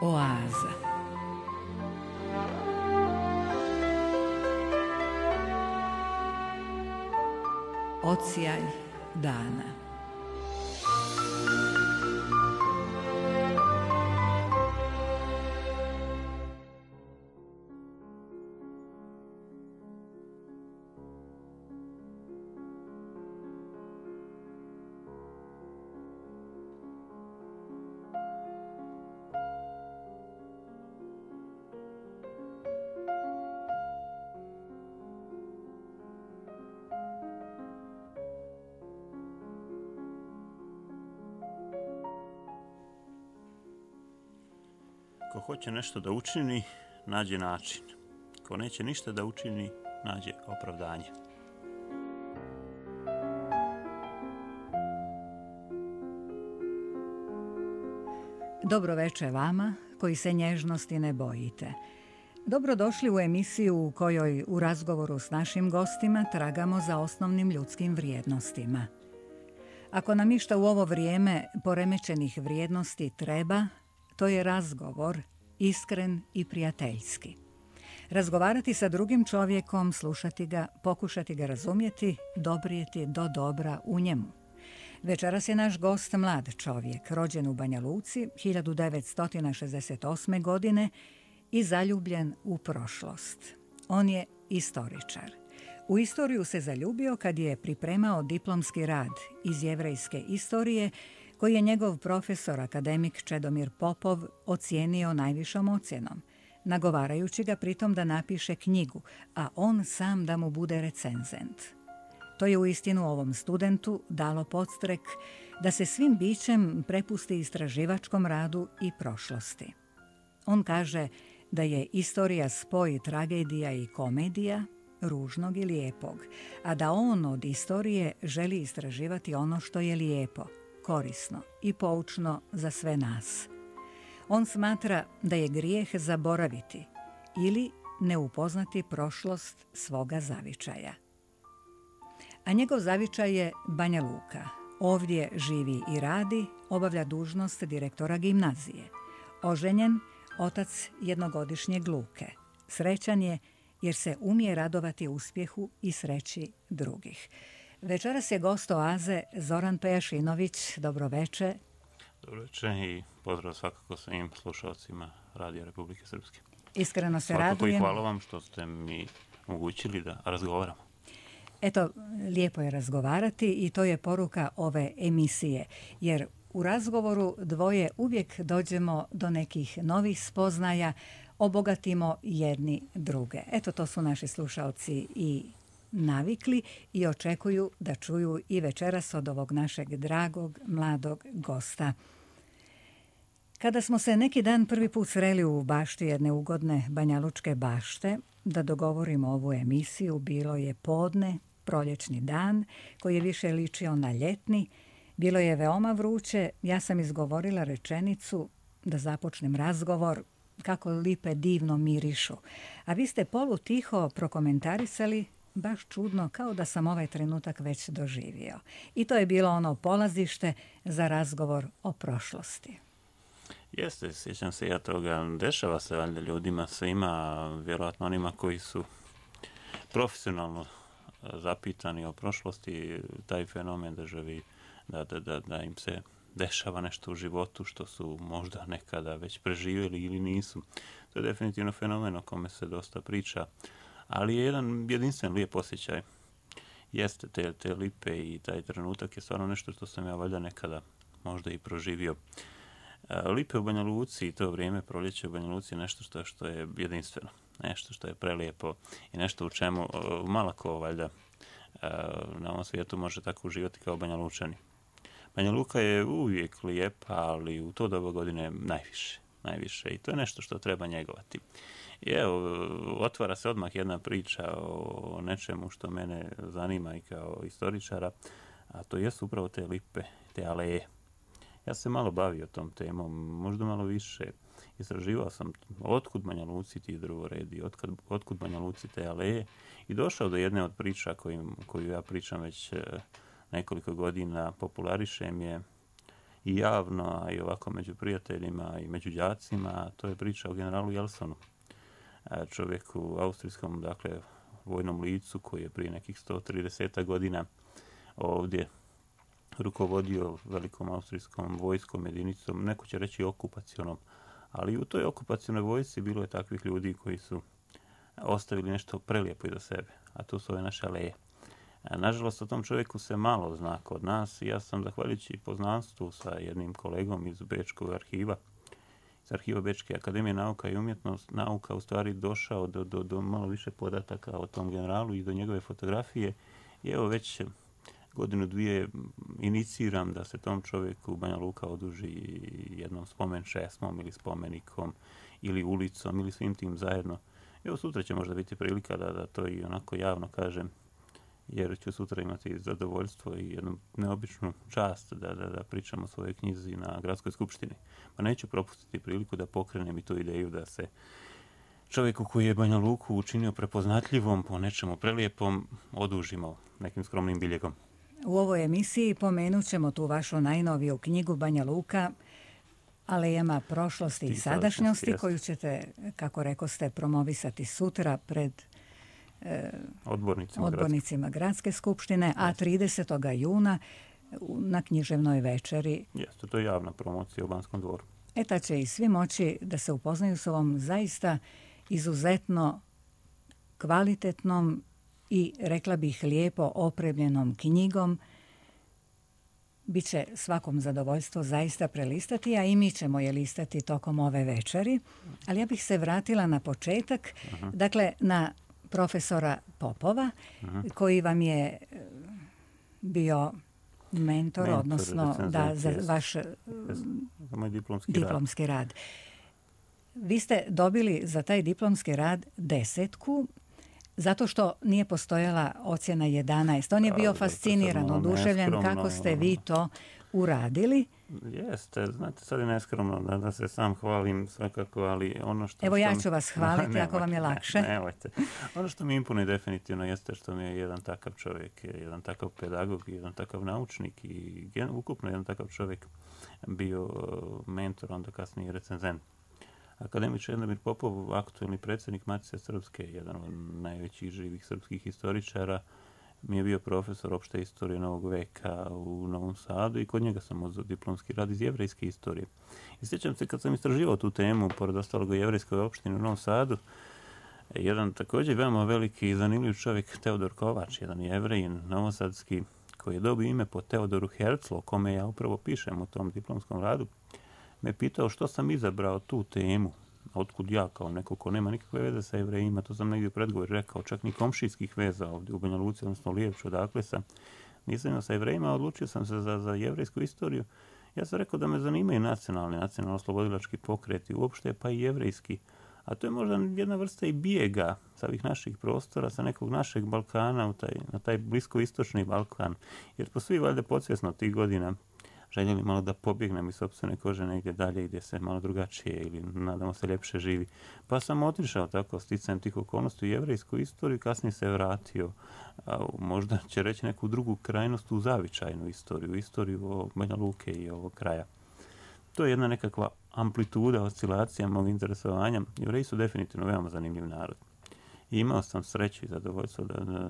Oaza. Odsjaj dana. Ko hoće nešto da učini, nađe način. Ko neće ništa da učini, nađe opravdanje. Dobro veče vama koji se nježnosti ne bojite. Dobrodošli u emisiju u kojoj u razgovoru s našim gostima tragamo za osnovnim ljudskim vrijednostima. Ako nam išta u ovo vrijeme poremećenih vrijednosti treba, to je razgovor, iskren i prijateljski. Razgovarati sa drugim čovjekom, slušati ga, pokušati ga razumjeti, doprijeti do dobra u njemu. Večeras je naš gost mlad čovjek, rođen u Banja Luci 1968. godine i zaljubljen u prošlost. On je istoričar. U istoriju se zaljubio kad je pripremao diplomski rad iz jevrejske istorije koji je njegov profesor, akademik Čedomir Popov, ocijenio najvišom ocjenom, nagovarajući ga pritom da napiše knjigu, a on sam da mu bude recenzent. To je uistinu ovom studentu dalo podstrek da se svim bićem prepusti istraživačkom radu i prošlosti. On kaže da je istorija spoj tragedija i komedija, ružnog i lijepog, a da on od istorije želi istraživati ono što je lijepo, korisno i poučno za sve nas. On smatra da je grijeh zaboraviti ili ne upoznati prošlost svoga zavičaja. A njegov zavičaj je Banja Luka. Ovdje živi i radi, obavlja dužnost direktora gimnazije. Oženjen, otac jednogodišnjeg Luke. Srećan je jer se umije radovati uspjehu i sreći drugih. Večeras je gost Oaze Zoran Pejašinović. Dobro veče. Dobro veče i pozdrav svakako svim slušalcima Radija Republike Srpske. Iskreno se svakako radujem. I hvala vam što ste mi omogućili da razgovaramo. Eto, lijepo je razgovarati i to je poruka ove emisije, jer u razgovoru dvoje uvijek dođemo do nekih novih spoznaja, obogatimo jedni druge. Eto, to su naši slušalci i navikli i očekuju da čuju i večeras od ovog našeg dragog, mladog gosta. Kada smo se neki dan prvi put sreli u bašti jedne ugodne banjalučke bašte, da dogovorimo ovu emisiju, bilo je podne, proljećni dan, koji je više ličio na ljetni. Bilo je veoma vruće, ja sam izgovorila rečenicu da započnem razgovor, kako lipe divno mirišu. A vi ste polutiho prokomentarisali, baš čudno, kao da sam ovaj trenutak već doživio. I to je bilo ono polazište za razgovor o prošlosti. Jeste, sjećam se ja toga. Dešava se valjda ljudima, svima, vjerojatno onima koji su profesionalno zapitani o prošlosti, taj fenomen da im se dešava nešto u životu što su možda nekada već preživjeli ili nisu. To je definitivno fenomen o kome se dosta priča, ali je jedan jedinstven lijep osjećaj. Jeste, te lipe i taj trenutak je stvarno nešto što sam ja valjda nekada možda i proživio. Lipe u Banja Luci i to vrijeme proljeće u Banja Luci je nešto što je jedinstveno, nešto što je prelijepo i nešto u čemu malo ko valjda na ovom svijetu može tako uživati kao Banja Lučani. Banja Luka je uvijek lijepa, ali u to doba godine najviše i to je nešto što treba njegovati. I evo, otvara se odmah jedna priča o nečemu što mene zanima i kao istoričara, a to jesu upravo te lipe, te aleje. Ja sam se malo bavio tom temom, možda malo više. Istraživao sam otkud Banja Luci ti drvoredi, otkud Banja Luci te aleje i došao do jedne od priča koju ja pričam već nekoliko godina, popularišem je i javno, a i ovako među prijateljima i među đacima, to je priča o generalu Jelsonu. Čovjeku austrijskom, dakle, vojnom licu koji je prije nekih 130 godina ovdje rukovodio velikom austrijskom vojskom jedinicom, neko će reći okupacionom, ali u toj okupacionoj vojsci bilo je takvih ljudi koji su ostavili nešto prelijepo iza sebe, a to su ove naše aleje. Nažalost, o tom čovjeku se malo zna kod nas i ja sam, zahvaljujući poznanstvu sa jednim kolegom iz Bečkog arhiva, iz arhiva Bečke akademije nauka i umjetnost, nauka u stvari došao do malo više podataka o tom generalu i do njegove fotografije. I evo već godinu, dvije iniciram da se tom čovjeku Banja Luka oduži jednom spomen šesmom ili spomenikom ili ulicom ili svim tim zajedno. Evo sutra će možda biti prilika da to i onako javno kažem, jer ću sutra imati zadovoljstvo i jednu neobičnu čast da pričam o svojoj knjizi na Gradskoj skupštini. Pa neću propustiti priliku da pokrenem i tu ideju da se čovjeku koji je Banja Luku učinio prepoznatljivom po nečemu prelijepom odužimo nekim skromnim biljegom. U ovoj emisiji pomenut ćemo tu vašu najnoviju knjigu Banja Luka, alejama prošlosti i sadašnjosti, koju ćete, kako rekoste, promovisati sutra pred odbornicima Gradske skupštine, a 30. juna na književnoj večeri. Jeste, to je javna promocija u Banskom dvoru. Tad će i svi moći da se upoznaju s ovom zaista izuzetno kvalitetnom i, rekla bih, lijepo opremljenom knjigom. Biće svakom zadovoljstvo zaista prelistati, a i mi ćemo je listati tokom ove večeri. Ali ja bih se vratila na početak, dakle na profesora Popova, koji vam je bio mentor, odnosno za vaš diplomski rad. Vi ste dobili za taj diplomski rad 10, zato što nije postojala ocjena 11. On je bio fasciniran, oduševljen kako ste vi to uradili. Jeste, znate, sad je neskromno da se sam hvalim svakako, ali ono što... Evo ja ću vas hvaliti ako vam je lakše. Nemojte. Ono što mi imponuje definitivno jeste što mi je jedan takav čovjek, jedan takav pedagog, jedan takav naučnik i ukupno jedan takav čovjek bio mentor, onda kasnije recenzent. Akademik Čedomir Popov, aktualni predsjednik Matice Srpske, jedan od najvećih živih srpskih historičara, mi je bio profesor opšte istorije Novog veka u Novom Sadu i kod njega sam uzeo diplomski rad iz jevrejske istorije. I sjećam se kad sam istraživao tu temu, pored ostalog u jevrejskoj opštini u Novom Sadu, jedan također veoma veliki i zanimljiv čovjek, Teodor Kovač, jedan jevrejin novosadski, koji je dobio ime po Teodoru Herzlu, o kome ja upravo pišem u tom diplomskom radu, me pitao što sam izabrao tu temu, otkud ja kao neko ko nema nikakve veze sa Jevrejima, to sam negdje u predgovoru rekao, čak ni komšijskih veza ovdje u Banja Luci, odnosno Lijevču, odakle sam. Nisam imao sa Jevrejima, odlučio sam se za jevrejsku istoriju. Ja sam rekao da me zanimaju nacionalno-oslobodilački pokreti uopšte, pa i jevrejski. A to je možda jedna vrsta i bijega sa ovih naših prostora, sa nekog našeg Balkana na taj bliskoistočni Balkan. Jer smo svi valjda podsvjesno tih godina željeli malo da pobjegnem iz sopstvene kože negdje dalje gdje se malo drugačije ili nadamo se ljepše živi. Pa sam otišao tako sticajem tih okolnosti u jevrejsku istoriju, kasnije se vratio, možda će reći neku drugu krajnost u zavičajnu istoriju Banja Luke i ovog kraja. To je jedna nekakva amplituda, oscilacija mog interesovanja. Jevreji su definitivno veoma zanimljiv narod. I imao sam sreću i zadovoljstvo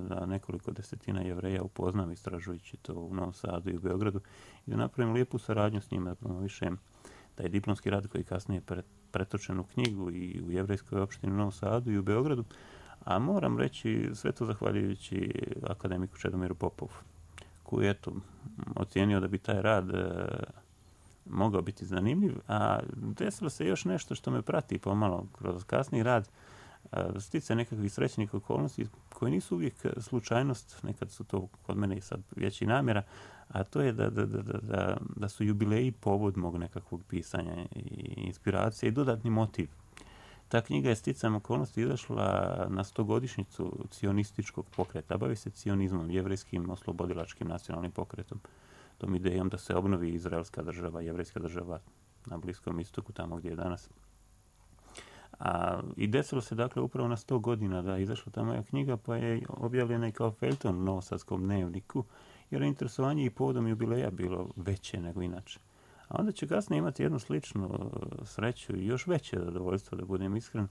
da nekoliko desetina Jevreja upoznam istražujući to u Novom Sadu i u Beogradu i da napravim lijepu saradnju s njima, da promovišem taj diplomski rad koji je kasnije pretočen u knjigu i u jevrejskoj opštini u Novom Sadu i u Beogradu. A moram reći sve to zahvaljujući akademiku Čedomiru Popovu, koji je ocijenio da bi taj rad mogao biti zanimljiv, a desilo se još nešto što me prati pomalo kroz kasni rad, stice nekakvih srećnih okolnosti koje nisu uvijek slučajnost, nekad su to kod mene i sad veći namjera, a to je da su jubileji povod mog nekakvog pisanja i inspiracije i dodatni motiv. Ta knjiga je sticajem okolnosti izašla na 100-godišnjicu cionističkog pokreta, bavi se cionizmom, jevrejskim oslobodilačkim nacionalnim pokretom, tom idejom da se obnovi izraelska država, jevrejska država na Bliskom istoku, tamo gdje je danas. I desilo se dakle upravo na 100 godina da je izašla ta moja knjiga, pa je objavljena i kao feljton u Novosadskom dnevniku, jer je interesovanje i povodom jubileja bilo veće nego inače. A onda će kasnije imati jednu sličnu sreću i još veće zadovoljstvo, da budem iskren,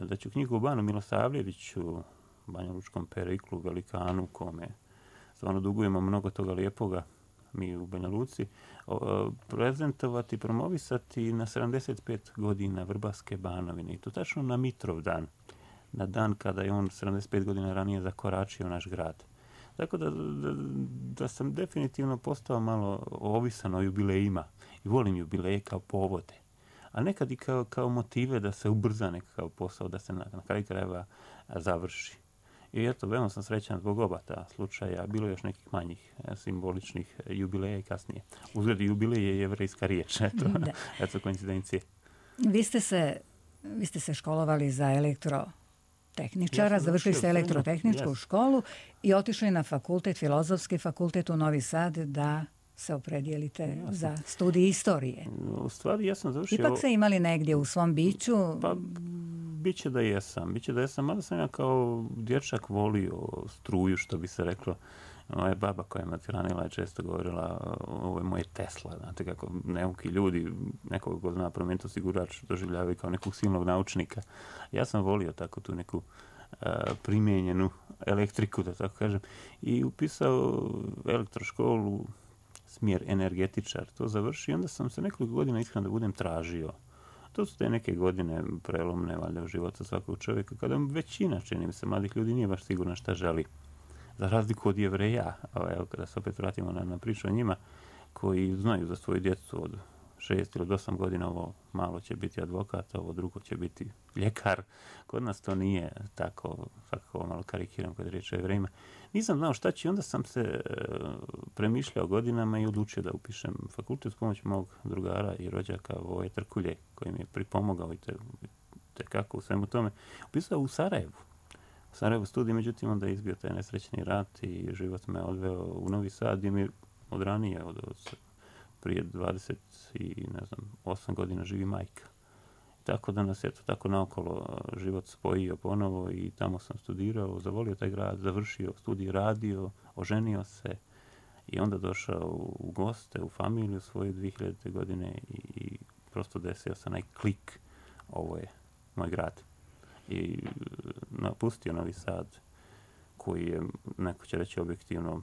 da ću knjigu o Banu Milosavljeviću, banjalučkom periklu, velikanu, kome stvarno dugujemo mnogo toga lijepoga, mi u Banja Luci, prezentovati, promovisati na 75 godina Vrbaske Banovine. I to tačno na Mitrov dan. Na dan kada je on 75 godina ranije zakoračio naš grad. Tako da sam definitivno postao malo ovisan o jubilejima. I volim jubileje kao povode. A nekad i kao motive da se ubrza nekakav posao, da se na kraju krajeva završi. I eto, veoma sam srećan zbog oba ta slučaja. Bilo je još nekih manjih simboličnih jubileja i kasnije. Uzgled jubilej je jevrejska riječ. Eto koincidencije. Vi ste se školovali za elektrotehničara, završili ste elektrotehničku školu i otišli na fakultet, Filozofski fakultet u Novi Sad da se opredijelite za studij istorije. U stvari, ja sam završio... Ipak ste imali negdje u svom biću... Pa, biće da jesam, mada sam ja kao dječak volio struju, što bi se reklo. Moja baba koja me hranila je često govorila, ovo je moje Tesla, znate kako neuki ljudi, nekog ko zna promijeniti osigurač, doživljavaju kao nekog silnog naučnika. Ja sam volio tako tu neku primijenjenu elektriku, da tako kažem, i upisao elektroškolu, smjer energetičar, to završi i onda sam se nekoliko godina iskreno da budem tražio. To su te neke godine prelomne valjda u životu svakog čovjeka, kada većina, čini mi se, mladih ljudi nije baš sigurna šta želi. Za razliku od Jevreja, evo kada se opet vratimo na priču o njima, koji znaju za svoju djecu od 6 ili 8 godina, ovo malo će biti advokat, ovo drugo će biti ljekar. Kod nas to nije tako, svakako malo karikiram kad je riječ o Jevrejima. Nisam znao šta će, onda sam se premišljao godinama i odlučio da upišem fakultet s pomoću mog drugara i rođaka Voje Trkulje, koji mi je pripomogao i tekako u svemu tome. Upisao u Sarajevu. U Sarajevu studij, međutim, onda je izbio taj nesrećni rat i život me odveo u Novi Sad, gdje mi od ranije, prije 28 godina živi majka. Tako da nas je to tako naokolo život spojio ponovo i tamo sam studirao, zavolio taj grad, završio studij, radio, oženio se i onda došao u goste, u familiju svoje 2000. godine i prosto desio se onaj klik, ovo je moj grad. I napustio Novi Sad, koji je, neko će reći objektivno,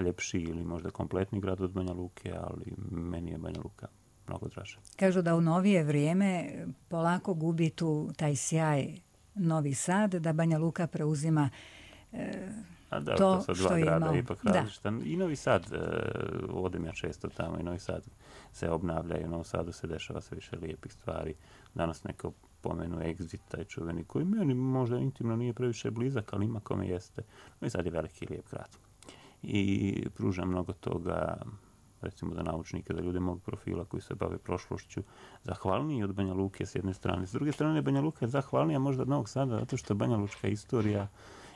ljepši ili možda kompletni grad od Banja Luke, ali meni je Banja Luka mnogo draža. Kažu da u novije vrijeme polako gubi taj sjaj Novi Sad, da Banja Luka preuzima to što je imao. Ipak različita. I Novi Sad, odem ja često tamo, i Novi Sad se obnavlja i u Novom Sadu se dešava sve više lijepih stvari. Danas neko pomenu Exit, taj čuveni, koji meni možda intimno nije previše blizak, ali ima kome jeste. Novi Sad je veliki lijep grad. I pruža mnogo toga, recimo za naučnike, za ljude mog profila koji se bave prošlošću, zahvalniji od Banja Luke s jedne strane. S druge strane, Banja Luka je zahvalnija možda od Novog Sada, zato što Banja Lučka istorija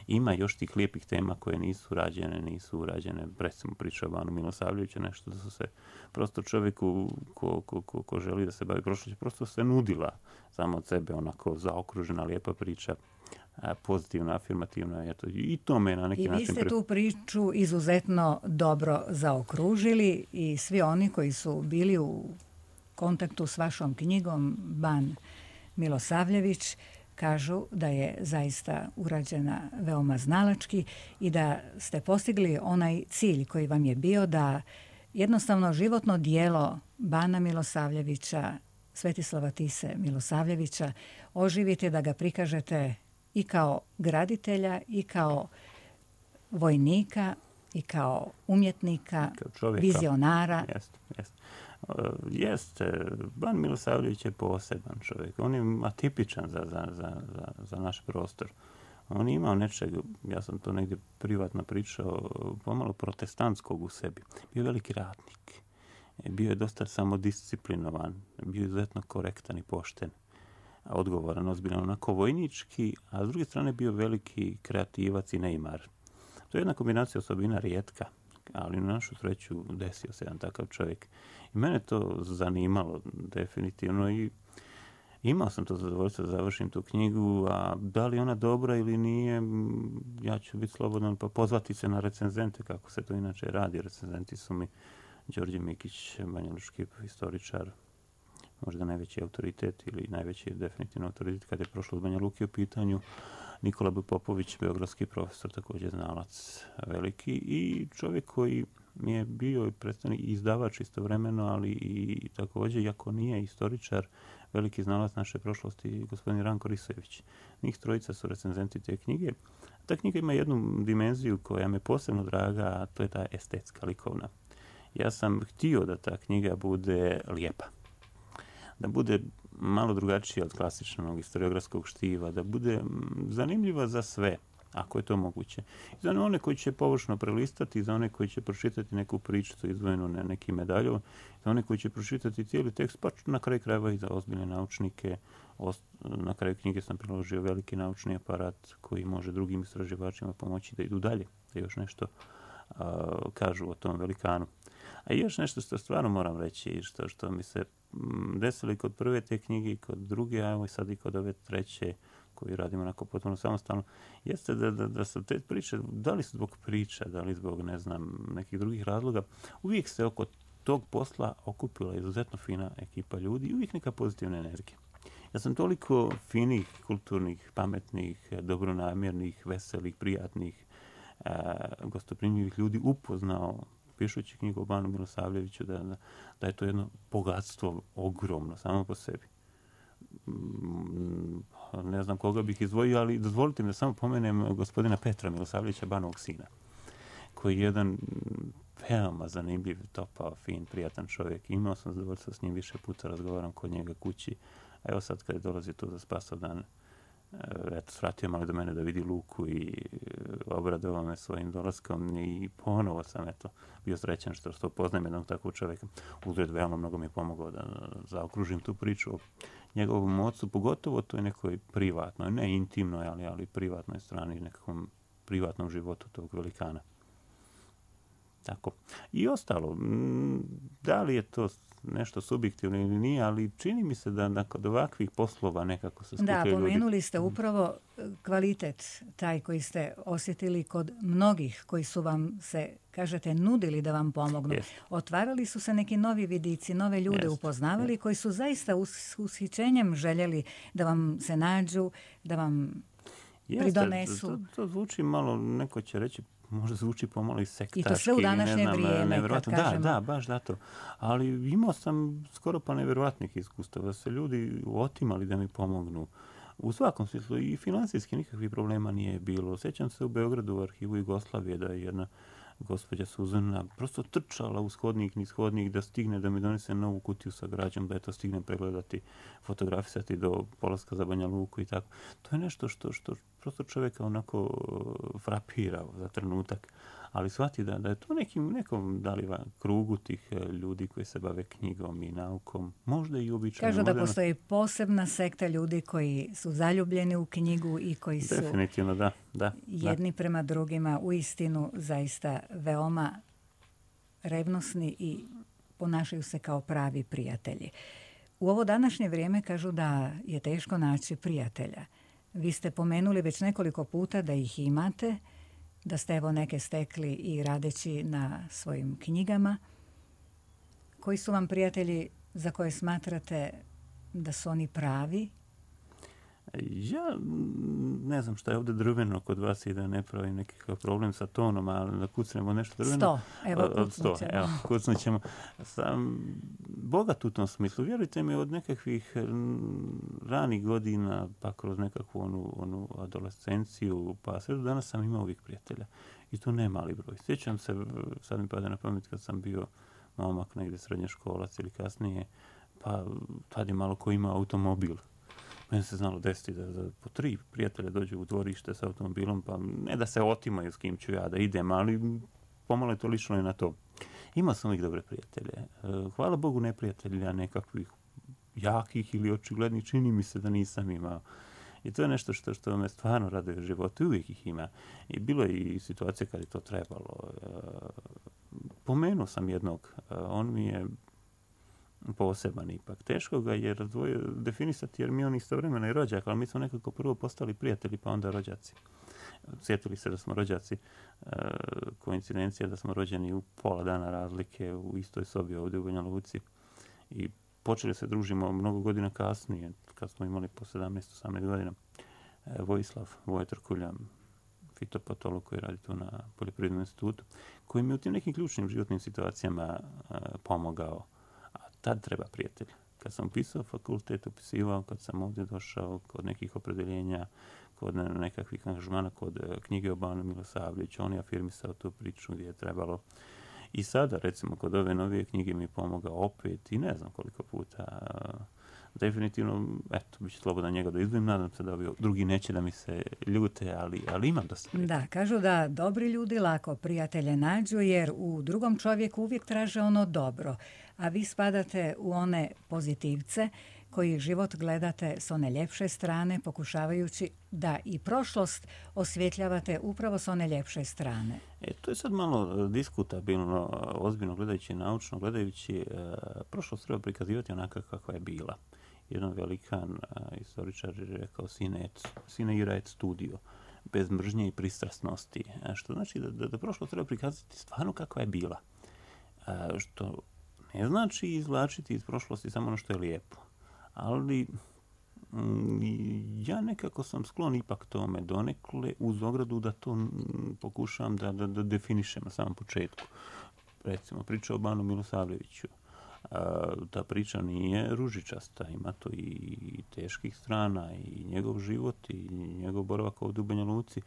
ima još tih lijepih tema koje nisu urađene. Recimo priča o Banu Milosavljeviću, nešto da su se prosto čovjeku ko želi da se bavi prošlošću, prosto se nudila samo od sebe, onako zaokružena lijepa priča, pozitivna, afirmativna. Eto, i to me na neki način... I vi ste tu priču izuzetno dobro zaokružili i svi oni koji su bili u kontaktu s vašom knjigom Ban Milosavljević kažu da je zaista urađena veoma znalački i da ste postigli onaj cilj koji vam je bio da jednostavno životno dijelo Bana Milosavljevića, Svetislava Tise Milosavljevića, oživite, da ga prikažete i kao graditelja, i kao vojnika, i kao umjetnika, kao vizionara. Jeste. Ban Milosavljević je poseban čovjek. On je atipičan za naš prostor. On je imao nečeg, ja sam to negdje privatno pričao, pomalo protestantskog u sebi. Bio je veliki ratnik. Bio je dosta samodisciplinovan. Bio je izuzetno korektan i pošten. Odgovoran, ozbiljan, onako vojnički, a s druge strane bio veliki kreativac i neimar. To je jedna kombinacija osobina rijetka, ali na našu sreću desio se jedan takav čovjek. I mene to zanimalo definitivno i imao sam to zadovoljstvo da završim tu knjigu, a da li ona dobra ili nije, ja ću biti slobodan pa pozvati se na recenzente, kako se to inače radi. Recenzenti su mi Đorđe Mikić, banjalučki historičar, možda najveći autoritet ili najveći definitivno autoritet kada je prošlo od Banja Luke u pitanju. Nikola B. Popović, beogradski profesor, također znalac veliki i čovjek koji mi je bio predstavnik i izdavač istovremeno, ali i također, iako nije istoričar, veliki znalac naše prošlosti, gospodin Ranko Risojević. Njih trojica su recenzenti te knjige. Ta knjiga ima jednu dimenziju koja me posebno draga, a to je ta estetska, likovna. Ja sam htio da ta knjiga bude lijepa, da bude malo drugačija od klasičnog historiografskog štiva, da bude zanimljiva za sve, ako je to moguće. I za one koji će površno prelistati, za one koji će pročitati neku priču izdvojenu na neki medalju, za one koji će pročitati cijeli tekst, pa na kraju krajeva i za ozbiljne naučnike. Na kraju knjige sam priložio veliki naučni aparat koji može drugim istraživačima pomoći da idu dalje, da još nešto kažu o tom velikanu. A još nešto što stvarno moram reći, što mi se desilo i kod prve te knjige i kod druge, a evo i sad i kod ove treće, koju radimo onako potpuno samostalno, jeste da su te priče, da li zbog priča, da li zbog, ne znam, nekih drugih razloga, uvijek se oko tog posla okupila izuzetno fina ekipa ljudi i uvijek neka pozitivna energija. Ja sam toliko finih, kulturnih, pametnih, dobronamjernih, veselih, prijatnih, gostoprimljivih ljudi upoznao pišući knjigu o Banu Milosavljeviću, da je to jedno bogatstvo ogromno samo po sebi. Ne znam koga bih izdvojio, ali dozvolite mi da samo pomenem gospodina Petra Milosavljevića, Banovog sina, koji je jedan veoma zanimljiv, topao, fin, prijatan čovjek. Imao sam zadovoljstvo s njim više puta, razgovaram kod njega kući. A evo sad kad je dolazi tu za Spasovdan, eto, svratio malo do mene da vidi Luku i obradovao me svojim dolaskom i ponovo sam bio srećan što poznajem jednog takvog čovjeka. Uzred veoma mnogo mi je pomogao da zaokružim tu priču o njegovom ocu, pogotovo toj nekoj privatnoj, ne intimnoj, ali privatnoj strani, nekakvom privatnom životu tog velikana. Tako. I ostalo, da li je to nešto subjektivno ili nije, ali čini mi se da kod ovakvih poslova nekako se skupljaju ljudi. Da, pomenuli ste upravo kvalitet taj koji ste osjetili kod mnogih koji su vam se, kažete, nudili da vam pomognu. Yes. Otvarali su se neki novi vidici, nove ljude upoznavali koji su zaista ushićenjem željeli da vam se nađu, da vam pridonesu. To zvuči malo, neko će reći, možda zvuči pomalo i sektaški. I to sve u današnje vrijeme, kad kažemo. Da, baš zato. Ali imao sam skoro pa nevjerojatnih iskustava, da se ljudi otimali da mi pomognu. U svakom smislu i finansijski nikakvih problema nije bilo. Sjećam se u Beogradu u arhivu Jugoslavije da je jedna gospođa Suzana prosto trčala uz hodnik, niz hodnik da stigne da mi donese novu kutiju sa građom, da je to stignem pregledati, fotografisati do polaska za Banja Luku i tako. To je nešto što prosto čovjeka onako frapira za trenutak, ali shvati da je to nekom krugu tih ljudi koji se bave knjigom i naukom, možda i običajno. Kažu da postoji posebna sekta ljudi koji su zaljubljeni u knjigu i koji su definitivno, da. jedni prema drugima uistinu zaista veoma revnosni i ponašaju se kao pravi prijatelji. U ovo današnje vrijeme kažu da je teško naći prijatelja. Vi ste pomenuli već nekoliko puta da ih imate, da ste evo neke stekli i radeći na svojim knjigama. Koji su vam prijatelji za koje smatrate da su oni pravi? Ja ne znam šta je ovdje drveno kod vas i da ne pravim nekakav problem sa tonom, ali da kucnemo nešto drveno. 100, evo kucnut ćemo. Evo, kucnut ćemo. Sam bogat u tom smislu. Vjerujte mi, od nekakvih ranih godina, pa kroz nekakvu onu adolescenciju, pa sve do danas sam imao uvijek prijatelja. I to ne mali broj. Sjećam se, sad mi pada na pamet kad sam bio momak negdje srednjoškolac ili kasnije, pa tad je malo ko ima automobil. Meni se znalo desiti da po 3 prijatelja dođu u dvorište s automobilom, pa ne da se otimaju s kim ću ja da idem, ali pomalo je to lično i na to. Imao sam uvijek dobre prijatelje. Hvala Bogu, neprijatelja nekakvih jakih ili očiglednih, čini mi se da nisam imao. I to je nešto što me stvarno raduje u životu. Uvijek ih ima. I bilo je i situacije kad je to trebalo. Pomenuo sam jednog. On mi je poseban ipak. Teško ga je definisati jer mi on istovremeno i rođak, ali mi smo nekako prvo postali prijatelji pa onda rođaci. sjetili se da smo rođaci, koincidencija da smo rođeni u pola dana razlike u istoj sobi ovdje u Banja Luci i počeli se družimo mnogo godina kasnije, kad smo imali po 17-18 godina. Vojislav Vojtrkulja, fitopatolog koji radi tu na Poljoprivrednom institutu, koji mi u tim nekim ključnim životnim situacijama pomogao. A tad treba prijatelj. Kad sam upisao fakultet, upisivao, kad sam ovdje došao kod nekih opredeljenja, kod nekakvih angažmana, kod knjige o Banu Milosavljeviću, on je afirmisao tu priču gdje je trebalo. I sada, recimo, kod ove novije knjige mi je pomogao opet i ne znam koliko puta. Definitivno, eto, bit će slobodan njega da izdvojim. Nadam se da drugi neće da mi se ljute, ali imam dosta prijatelja. Da, kažu da dobri ljudi lako prijatelje nađu, jer u drugom čovjeku uvijek traže ono dobro. A vi spadate u one pozitivce koji život gledate s one ljepše strane, pokušavajući da i prošlost osvjetljavate upravo s one ljepše strane. To je sad malo diskutabilno, ozbiljno gledajući, naučno gledajući. Prošlost treba prikazivati onaka kakva je bila. Jedan velikan istoričar je rekao sine ira et studio, bez mržnje i pristrasnosti. Što znači da prošlost treba prikazati stvarno kakva je bila. Što ne znači izvlačiti iz prošlosti samo ono što je lijepo. Ali ja nekako sam sklon ipak tome donekle uz ogradu da to pokušam da definišem na samom početku. Recimo, priča o Banu Milosavljeviću. Ta priča nije ružičasta, ima to i teških strana, i njegov život, i njegov boravak ovdje u Banja Luci,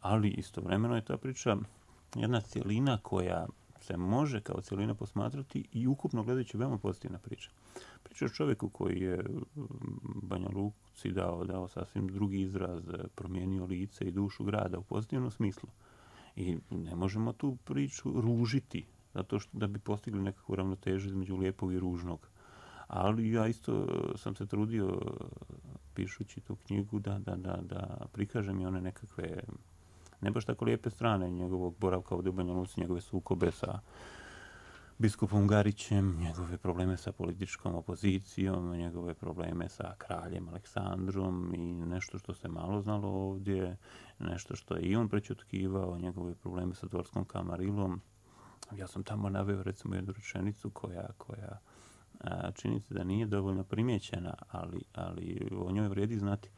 ali istovremeno je ta priča jedna cjelina koja se može kao cjelina posmatrati i ukupno gledajući veoma pozitivna priča. Priča o čovjeku koji je Banja Luci dao sasvim drugi izraz, promijenio lice i dušu grada u pozitivnom smislu. I ne možemo tu priču ružiti, zato što da bi postigli nekakvu ravnotežu između lijepog i ružnog. Ali ja isto sam se trudio, pišući tu knjigu, da prikažem i one nekakve, ne baš tako lijepe strane njegovog boravka ovdje u Banja Luci, njegove sukobe sa biskupom Garićem, njegove probleme sa političkom opozicijom, njegove probleme sa kraljem Aleksandrom i nešto što se malo znalo ovdje, nešto što je i on prećutkivao, njegove probleme sa dvorskom kamarilom. Ja sam tamo naveo recimo jednu rečenicu koja čini se da nije dovoljno primijećena, ali o njoj vrijedi znati.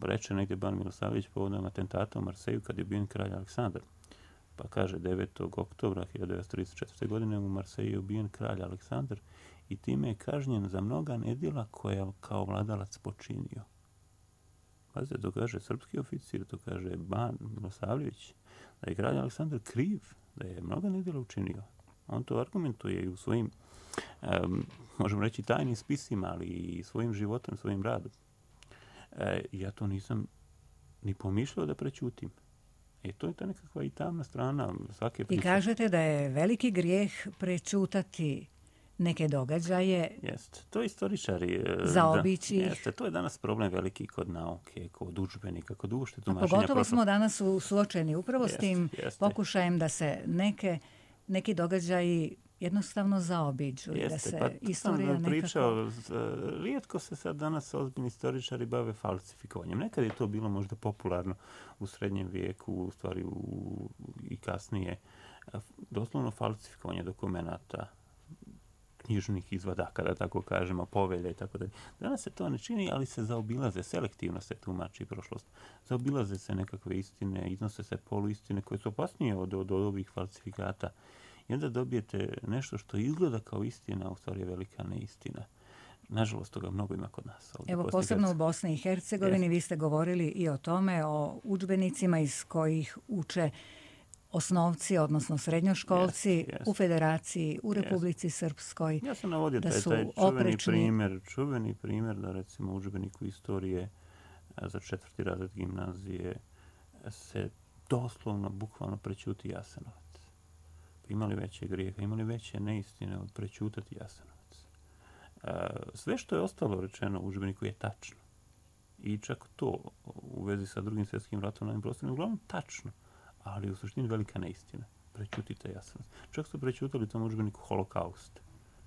Reče negdje Ban Milosavljević povodom atentata u Marseju kad je ubijen kralj Aleksandar. Pa kaže 9. oktobra 1934. godine u Marseju je ubijen kralj Aleksandar i time je kažnjen za mnoga nedjela koja kao vladalac počinio. Pazite, to kaže srpski oficir, to kaže Ban Milosavljević, da je kralj Aleksandar kriv, da je mnoga nedjela učinio. On to argumentuje i u svojim, možemo reći, tajnim spisima, ali i svojim životom, svojim radom. Ja to nisam ni pomišljao da prećutim. To je ta nekakva i tamna strana svake priče. I kažete da je veliki grijeh prečutati neke događaje. Jeste, to istoričari zaobići. Jeste, to je danas problem veliki kod nauke, kod udžbenika, kod uopšte tumačenja prošlosti. Pogotovo smo danas suočeni upravo s tim pokušajem da se neki događaji jednostavno zaobiđu i da se istorija nekako... Pričao, rijetko se sad danas ozbiljni istoričari bave falsifikovanjem. Nekad je to bilo možda popularno u srednjem vijeku, u stvari i kasnije. Doslovno falsifikovanje dokumenata, knjižnih izvadaka, da tako kažemo, povelja i tako dalje. Danas se to ne čini, ali se zaobilaze, selektivno se tumači prošlost. Zaobilaze se nekakve istine, iznose se poluistine koje su opasnije od ovih falsifikata. I onda dobijete nešto što izgleda kao istina, a u stvari je velika neistina. Nažalost, toga mnogo ima kod nas. Evo, posebno u Bosni i Hercegovini, vi ste govorili i o tome, o udžbenicima iz kojih uče osnovci, odnosno srednjoškolci u Federaciji, u Republici Srpskoj. Ja sam navodio taj čuveni primjer da recimo u udžbeniku istorije za 4. razred gimnazije se doslovno, bukvalno prećuti Jasenovac. Imali veće grijeha, imali veće neistine od prećutati Jasenovac. Sve što je ostalo rečeno u udžbeniku je tačno. I čak to u vezi sa Drugim svjetskim ratom na ovim prostorima, uglavnom tačno, ali u suštini velika neistina. Prećutite Jasenovac. Čak su prećutali u tom udžbeniku Holokaust.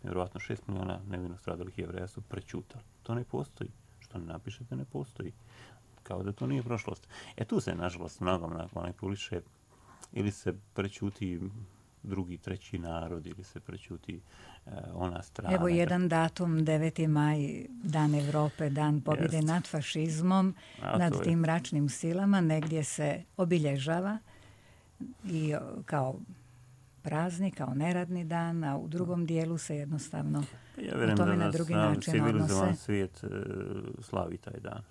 Vjerovatno 6 miliona nevino stradalih Jevreja su prećutali. To ne postoji. Što ne napišete, ne postoji. kao da to nije prošlost. Tu se, nažalost, mnogo manipuliše, ili se prećuti drugi, treći narod, ili se prećuti ona strana. Evo jedan datum, 9. maj, Dan Evrope, Dan pobjede nad fašizmom, nad tim mračnim silama, negdje se obilježava i kao praznik, kao neradni dan, a u drugom dijelu se jednostavno o tome na drugi način odnose. Civilizovan svijet slavi taj dan.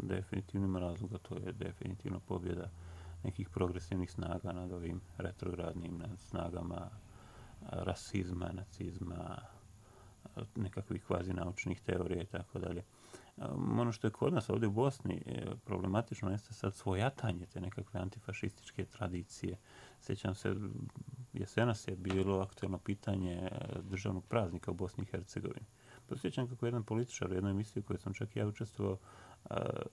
Definitivno ima razloga, to je definitivno pobjeda nekih progresivnih snaga nad ovim retrogradnim, nad snagama rasizma, nacizma, nekakvih kvazinaučnih teorija i tako dalje. Ono što je kod nas ovdje u Bosni problematično jeste sad svojatanje te nekakve antifašističke tradicije. Sjećam se, jesenas je bilo aktuelno pitanje državnog praznika u Bosni i Hercegovini. Sjećam kako jedan političar u jednoj emisiji u kojoj sam čak i ja učestvovao,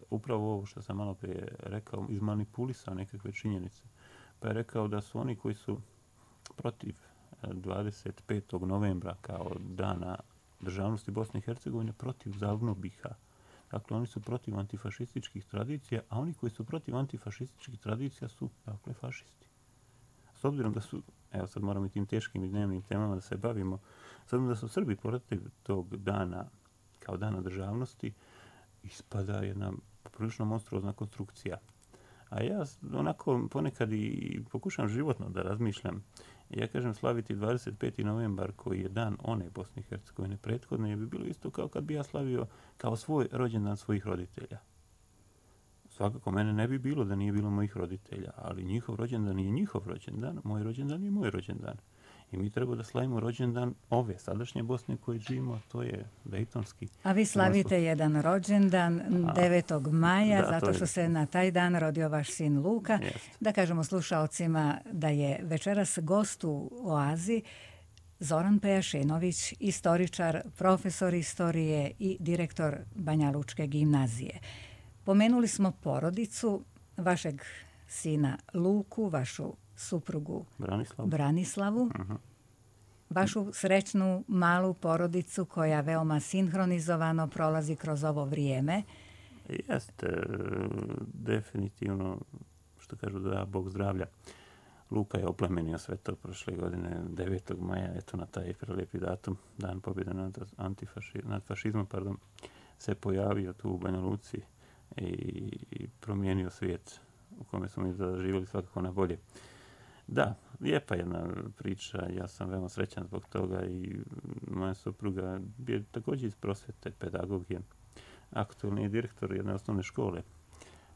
upravo ovo što sam malo prije rekao, izmanipulisao nekakve činjenice. Pa je rekao da su oni koji su protiv 25. novembra kao dana državnosti Bosne i Hercegovine protiv Zavnobiha. Dakle, oni su protiv antifašističkih tradicija, a oni koji su protiv antifašističkih tradicija su, dakle, fašisti. S obzirom da su, evo sad moramo i tim teškim i dnevnim temama da se bavimo, s obzirom da su Srbi protiv tog dana, kao dana državnosti, ispada jedna prilično monstruozna konstrukcija. A ja onako ponekad i pokušam životno da razmišljam. Ja kažem, slaviti 25. novembar koji je dan one Bosne i Hercegovine prethodne bi bilo isto kao kad bi ja slavio kao svoj rođendan svojih roditelja. Svakako mene ne bi bilo da nije bilo mojih roditelja, ali njihov rođendan je njihov rođendan, moj rođendan je moj rođendan. I mi treba da slavimo rođendan ove sadašnje Bosne koje živimo, a to je dejtonski. A vi slavite jedan rođendan 9. maja, zato što se na taj dan rodio vaš sin Luka. Jest. Da kažemo slušaocima da je večeras gost u Oazi Zoran Pejašinović, istoričar, profesor istorije i direktor Banja Lučke gimnazije. Pomenuli smo porodicu, vašeg sina Luku, vašu suprugu Branislavu, vašu srećnu malu porodicu koja veoma sinhronizovano prolazi kroz ovo vrijeme. Jeste, definitivno, što kažu da Bog zdravlja. Luka je oplemenio sve to prošle godine, 9. maja, eto na taj prelijepi datum, dan pobjede nad fašizmom, se pojavio tu u Banja Luci i promijenio svijet u kome smo mi zaživjeli svakako na bolje. Da, lijepa jedna priča, ja sam veoma srećan zbog toga i moja supruga je također iz prosvete, pedagogije, aktualni je direktor jedne osnovne škole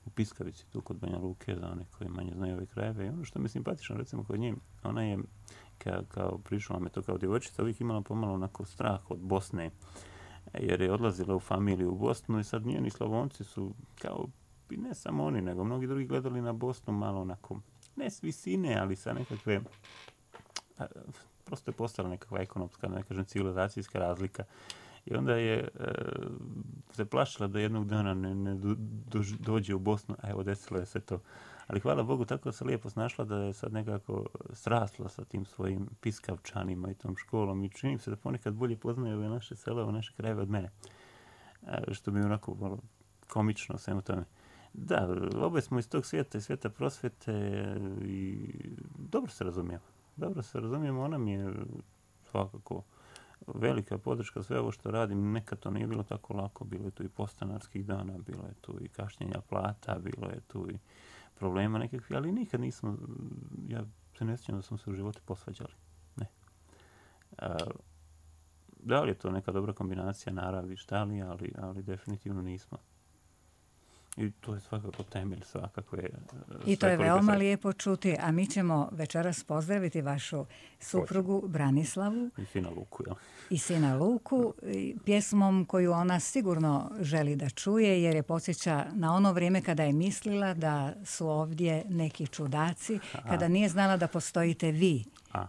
u Piskavici, tu kod Banja Luke, za one koji manje znaju ove krajeve. I ono što mi je simpatično, recimo kod nje, ona je, kao prišla me to kao djevojčica, uvijek imala pomalo onako strah od Bosne, jer je odlazila u familiju u Bosnu i sad njeni Slavonci su, kao, i ne samo oni, nego mnogi drugi gledali na Bosnu malo onako, ne s visine, ali sa nekakve, prosto je postala nekakva ekonomska, ne kažem civilizacijska razlika. I onda je se plašila da jednog dana ne dođe u Bosnu, a evo desilo je se to. Ali hvala Bogu, tako se lijepo snašla da je sad nekako srasla sa tim svojim Piskavčanima i tom školom i čini se da ponekad bolje poznaju ove naše sela, ove naše krajeve od mene. Što mi je onako malo komično svemu tome. Da, oboje smo iz tog svijeta i svijeta prosvete i dobro se razumijemo. Ona mi je svakako velika podrška sve ovo što radim. Nekad to nije bilo tako lako, bilo je tu i podstanarskih dana, bilo je tu i kašnjenja plata, bilo je tu i problema nekakvih, ali nikad nismo, ja se ne sjećam da smo se u životu posvađali. Ne. Da li je to neka dobra kombinacija naravi, šta li, ali definitivno nismo. I to je svakako temelj svakakve. I to je veoma lijepo čuti, a mi ćemo večeras pozdraviti vašu suprugu Branislavu i sina Luku pjesmom koju ona sigurno želi da čuje, jer je podsjeća na ono vrijeme kada je mislila da su ovdje neki čudaci, kada nije znala da postojite vi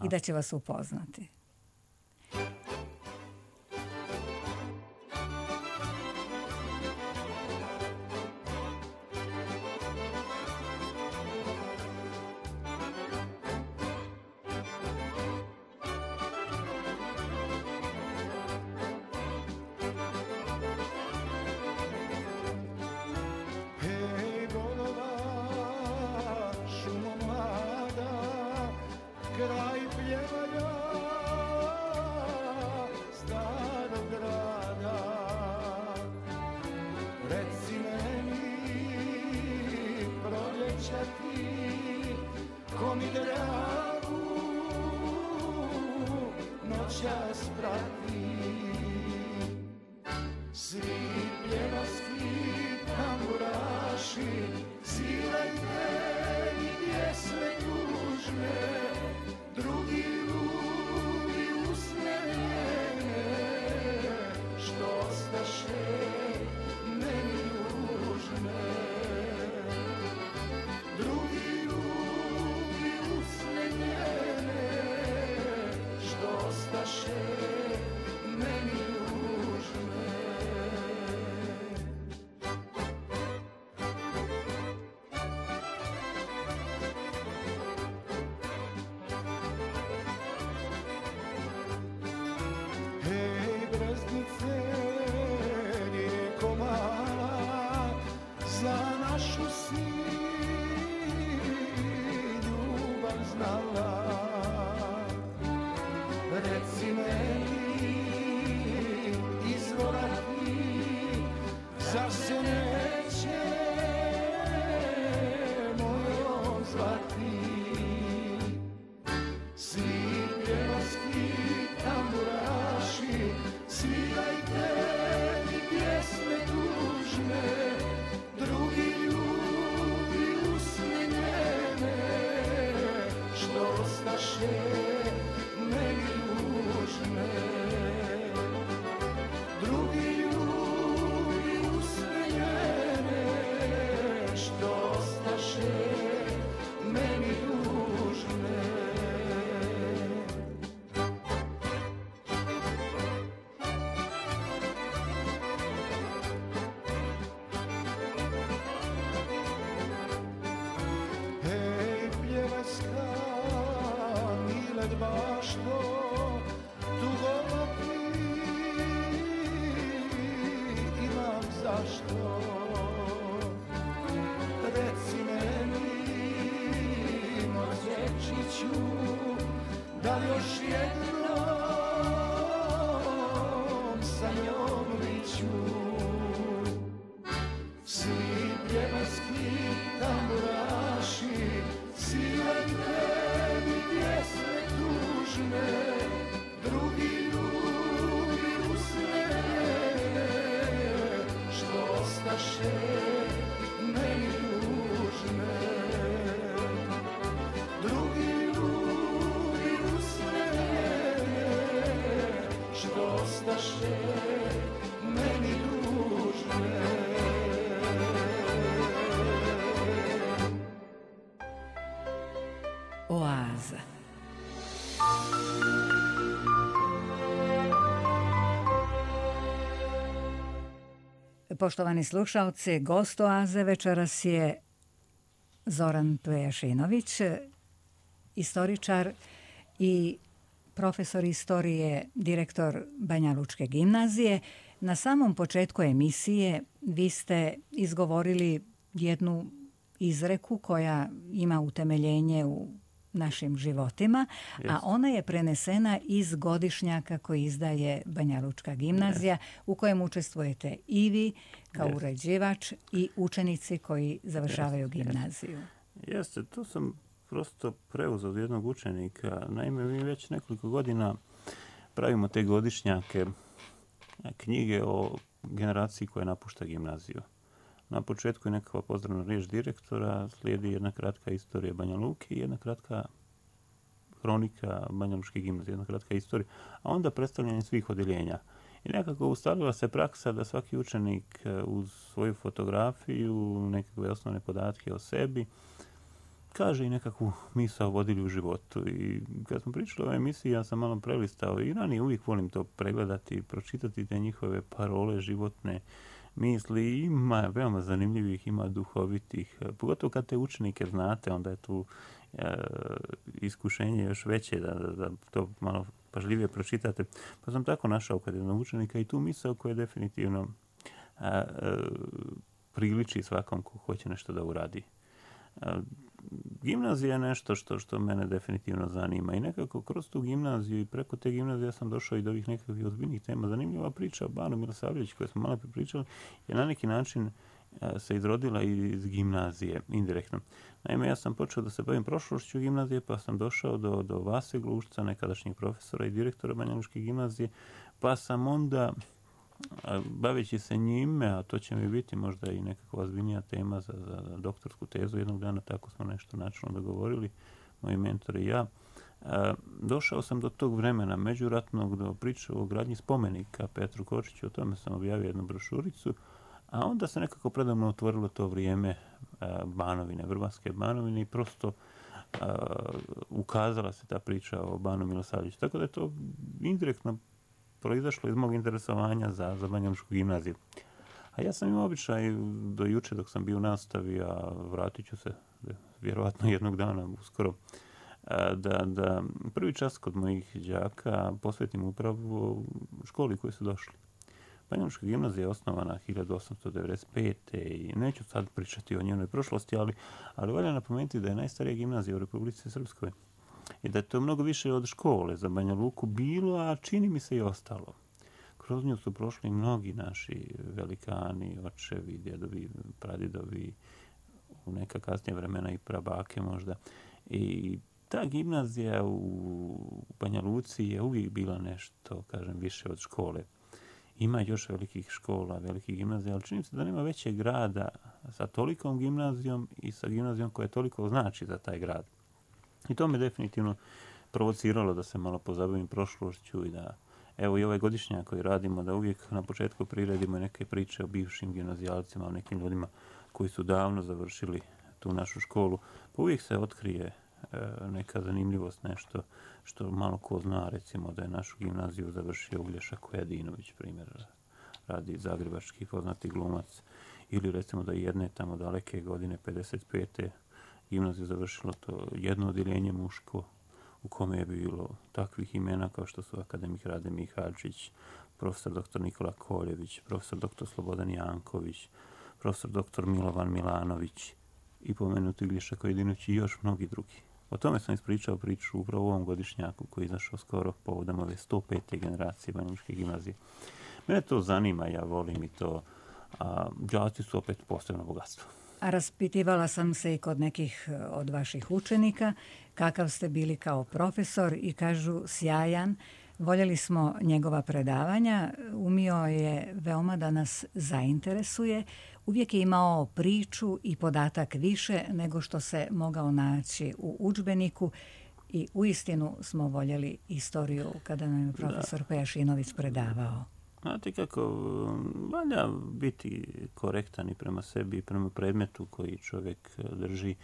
i da će vas upoznati. kraj pjevanja starog grada. Reci meni, proljeća ti, ko mi dragu noćas prati. Svi pjevaski tamburaši svirajte i pjesme tužne, drugi ljudi usmjerene, što ostaše meni južne. Drugi ljudi usmjerene, što ostaše meni južne. Hej, breznice, rijeko mala, za našu si ljubav znala. Reci meni, izvora ti, zar se neće mojom zvati? Svi pjevaski tamburaši svirajte mi pjesme tužne, drugi ljudi usmjenjene, što ostaše meni južne. Drugi ljudi usmjenjene, što ostaše meni južne. Hej, pjevaska, Milet bašto, tugo ti imam zašto. Reci meni, moj dječjiću, da li još jednom sa njom viću. Svi pjevaski tamburaši svirajte mi pjesme tužne, drugi ljudi usmjerene, što ostaše meni južne. Drugi ljudi usmjerene, što ostaše meni južne. Oaza. Poštovani slušalci, gost Oaze večeras je Zoran Pejašinović, istoričar i profesor istorije, direktor Banjalučke gimnazije. Na samom početku emisije vi ste izgovorili jednu izreku koja ima utemeljenje u našim životima, a ona je prenesena iz godišnjaka koji izdaje Banjalučka gimnazija, u kojem učestvujete i vi kao uređivač i učenici koji završavaju gimnaziju. Jeste, to sam prosto preuzeo od jednog učenika. Naime, mi već nekoliko godina pravimo te godišnjake, knjige o generaciji koja napušta gimnaziju. Na početku je nekakva pozdravna riječ direktora, slijedi jedna kratka istorija Banja Luke i jedna kratka hronika Banjalučke gimnazije, jedna kratka istorija, a onda predstavljanje svih odjeljenja. I nekako ustalila se praksa da svaki učenik uz svoju fotografiju, nekakve osnovne podatke o sebi, kaže i nekakvu misao vodilju u životu. I kad smo pričali o ovoj emisiji, ja sam malo prelistao i ranije uvijek volim to pregledati, pročitati te njihove parole životne, misli. Ima veoma zanimljivih, ima duhovitih. Pogotovo kad te učenike znate, onda je tu iskušenje još veće da to malo pažljivije pročitate. Pa sam tako našao kod jednog učenika i tu misao koja definitivno priliči svakom ko hoće nešto da uradi. gimnazija je nešto što mene definitivno zanima i nekako kroz tu gimnaziju i preko te gimnazije ja sam došao i do ovih nekakvih ozbiljnih tema. Zanimljiva priča o Banu Milosavljeviću koju smo malo pričali je na neki način se izrodila iz gimnazije, indirektno. Naime, ja sam počeo da se bavim prošlošću gimnazije, pa sam došao do Vase Glušca, nekadašnjeg profesora i direktora Banja Lučke gimnazije, pa sam onda, baveći se njime, a to će mi biti možda i nekakva ozbiljnija tema za doktorsku tezu, jednog dana tako smo nešto načelno dogovorili, moji mentori i ja, došao sam do tog vremena međuratnog, do priče o gradnji spomenika Petru Kočiću, o tome sam objavio jednu brošuricu, a onda se nekako predavno otvorilo to vrijeme Banovine, Vrbanske Banovine i prosto ukazala se ta priča o Banu Milosavljeviću. Tako da je to indirektno proizašlo iz mog interesovanja za Banja Lučku gimnaziju. A ja sam imao običaj do juče dok sam bio u nastavi, a vratit ću se vjerovatno jednog dana uskoro, da prvi čas kod mojih đaka posvetim upravo školi koji su došli. Banja Lučka gimnazija je osnovana 1895. i neću sad pričati o njenoj prošlosti, ali valja napomenuti da je najstarija gimnazija u Republici Srpskoj i da je to mnogo više od škole za Banja Luku bilo, a čini mi se i ostalo. Kroz nju su prošli mnogi naši velikani, očevi, djedovi, pradjedovi, u neka kasnija vremena i prabake možda. I ta gimnazija u Banja Luci je uvijek bila nešto, kažem, više od škole. Ima još velikih škola, velikih gimnazija, ali čini se da nema većeg grada sa tolikom gimnazijom i sa gimnazijom koja toliko znači za taj grad. I to me definitivno provociralo da se malo pozabavim prošlošću i da, evo i ovaj godišnjak koji radimo, da uvijek na početku priredimo neke priče o bivšim gimnazijalcima, o nekim ljudima koji su davno završili tu našu školu. Pa uvijek se otkrije neka zanimljivost, nešto što malo ko zna, recimo da je našu gimnaziju završio Uglješa Kojadinović, primjer, radi zagrebački poznati glumac, ili recimo da jedne tamo daleke godine, 55. gimnaziju završilo to jedno odjeljenje muško, u kome je bilo takvih imena kao što su akademik Rade Mihaljčić, profesor dr. Nikola Koljević, profesor dr. Slobodan Janković, profesor dr. Milovan Milanović i pomenuti Uglješa Kojadinović i još mnogi drugi. O tome sam ispričao priču upravo u ovom godišnjaku koji je izašao skoro povodom ove 105. generacije Banja Lučke gimnazije. Mene to zanima, ja volim i to, a đaci su opet posebno bogatstvo. A raspitivala sam se i kod nekih od vaših učenika kakav ste bili kao profesor i kažu sjajan. Voljeli smo njegova predavanja, umio je veoma da nas zainteresuje. Uvijek je imao priču i podatak više nego što se mogao naći u udžbeniku i uistinu smo voljeli istoriju kada nam je profesor Pejašinović predavao. Znate kako, valja biti korektan i prema sebi i prema predmetu koji čovjek drži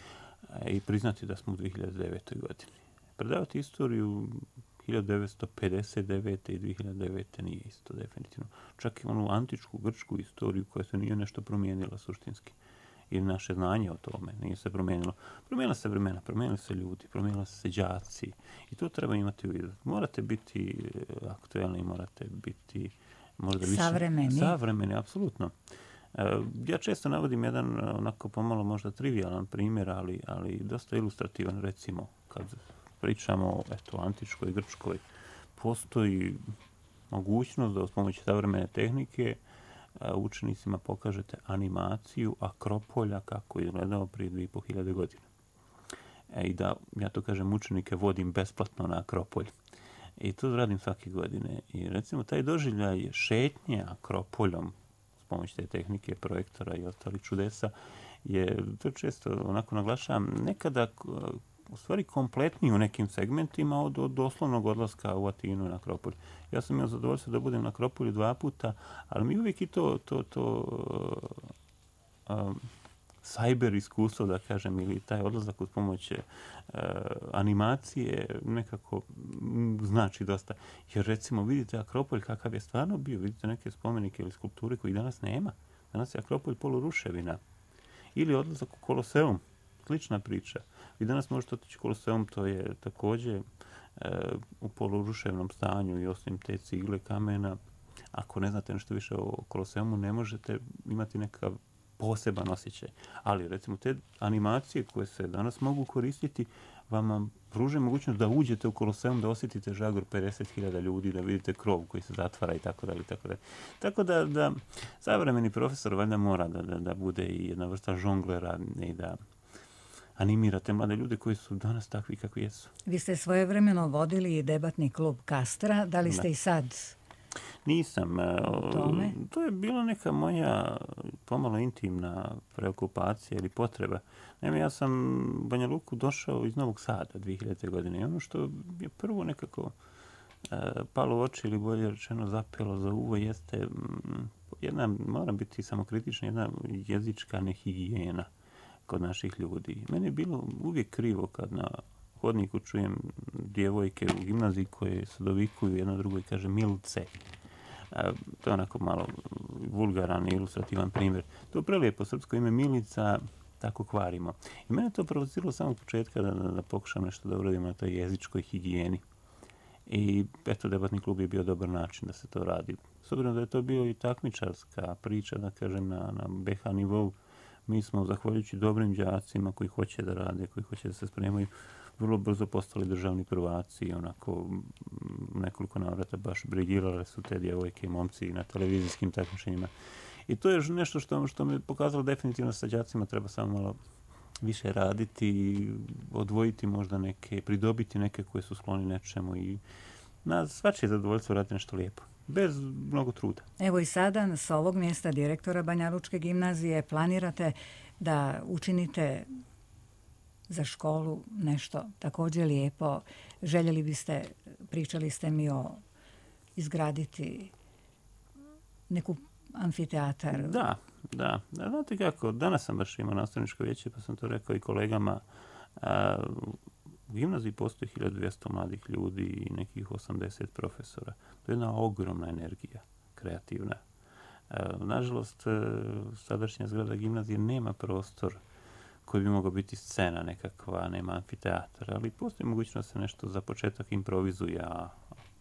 i priznati da smo u 2009. godini. Predavati istoriju 1959. i 2009. nije isto, definitivno. Čak i onu antičku grčku istoriju koja se nije nešto promijenila suštinski. I naše znanje o tome nije se promijenilo. Promijenila se vremena, promijenili se ljudi, promijenili se đaci. I to treba imati u vidu. Morate biti aktuelni, morate biti možda više savremeni, apsolutno. Ja često navodim jedan onako pomalo možda trivialan primjer, ali dosta ilustrativan, recimo kad pričamo o antičkoj Grčkoj, postoji mogućnost da uz pomoć savremene tehnike učenicima pokažete animaciju Akropolja kako je izgledao prije 2500 godina. I da, ja to kažem, učenike vodim besplatno na Akropolj. I to radim svake godine. I recimo taj doživljaj šetnje Akropoljom s pomoć te tehnike, projektora i ostalih čudesa je, to često onako naglašavam, nekada u stvari kompletniji u nekim segmentima od doslovnog odlaska u Atinu na Akropolj. Ja sam imao zadovoljstvo da budem na Akropolju 2 puta, ali mi uvijek i to cyber iskustvo, da kažem, ili taj odlazak uz pomoć animacije nekako znači dosta. Jer recimo vidite Akropolj kakav je stvarno bio, vidite neke spomenike ili skulpture koji danas nema. Danas je Akropolj poluruševina. Ili odlazak u Koloseum, slična priča. Vi danas možete otići u Koloseum, to je također u poluruševnom stanju i osim te cigle, kamena. Ako ne znate nešto više o Koloseumu, ne možete imati nekakav poseban osjećaj. Ali recimo te animacije koje se danas mogu koristiti vama pruže mogućnost da uđete u Koloseum, da osjetite žagor 50.000 ljudi, da vidite krov koji se zatvara i tako dalje. Tako da savremeni profesor valjda mora da bude i jedna vrsta žonglera i da animirate mlade ljude koji su danas takvi kakvi jesu. Vi ste svojevremeno vodili i debatni klub Kastra, da li ste i sad? Nisam. To je bila neka moja pomalo intimna preokupacija ili potreba. Naime, ja sam u Banja Luku došao iz Novog Sada 2000. godine i ono što je prvo nekako palo u oči ili bolje rečeno zapelo za uvo jeste jedna, moram biti samokritična, jedna jezička nehigijena kod naših ljudi. Meni je bilo uvijek krivo kad na hodniku čujem djevojke u gimnaziji koje se dovikuju jedna drugoj i kaže Milce. To je onako malo vulgaran i ilustrativan primjer. To je prelijepo srpsko ime Milica, tako kvarimo. I mene to provociralo samog početka da pokušam nešto da uradim na toj jezičkoj higijeni. I eto, debatni klub je bio dobar način da se to radi. S obzirom da je to bio i takmičarska priča, da kažem, na BH nivou, mi smo, zahvaljujući dobrim đacima koji hoće da rade, koji hoće da se spremaju, vrlo brzo postali državni prvaci i onako nekoliko navrata baš briljirale su te djevojke i momci na televizijskim takmičenjima. I to je nešto što mi je pokazalo definitivno sa đacima treba samo malo više raditi, odvojiti možda neke, pridobiti neke koje su skloni nečemu i na svačije zadovoljstvo raditi nešto lijepo. Bez mnogo truda. Evo i sada s ovog mjesta direktora Banjalučke gimnazije planirate da učinite za školu nešto također lijepo. Željeli biste, pričali ste mi o izgraditi neku amfiteatar. Da. Znate kako, danas sam baš imao nastavničko vijeće pa sam to rekao i kolegama. U gimnaziji postoji 1200 mladih ljudi i nekih 80 profesora. To je jedna ogromna energija, kreativna. Nažalost, sadašnja zgrada gimnazije nema prostor koji bi mogao biti scena nekakva, nema amfiteatar, ali postoji mogućnost da se nešto za početak improvizuje, a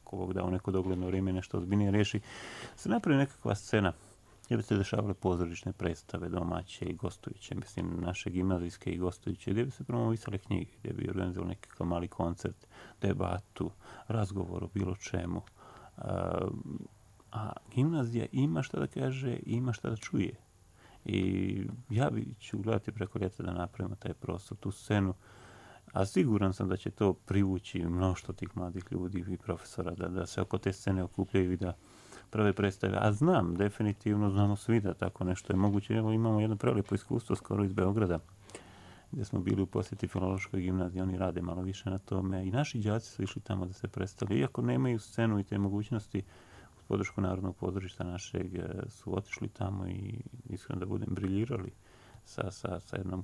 ako Bog da u neko dogledno vrijeme nešto ozbiljnije riješi, se napravi nekakva scena gdje bi se dešavale pozorišne predstave, domaće i gostujuće, mislim naše gimnazijske i gostujuće, gdje bi se promovisale knjige, gdje bi organizovali nekakav mali koncert, debatu, razgovor o bilo čemu. A gimnazija ima šta da kaže i ima šta da čuje. I ja ću gledati preko ljeta da napravimo taj prostor, tu scenu, a siguran sam da će to privući mnoštvo tih mladih ljudi i profesora, da se oko te scene okupljaju i da prave predstave. A znamo svi da tako nešto je moguće. Evo imamo jedno prelijepo iskustvo skoro iz Beograda, gdje smo bili u posjeti Filološkoj gimnaziji. Oni rade malo više na tome i naši đaci su išli tamo da se predstavljaju. Iako nemaju scenu i te mogućnosti, uz podršku Narodnog pozorišta našeg su otišli tamo i iskreno da budem briljirali sa jednom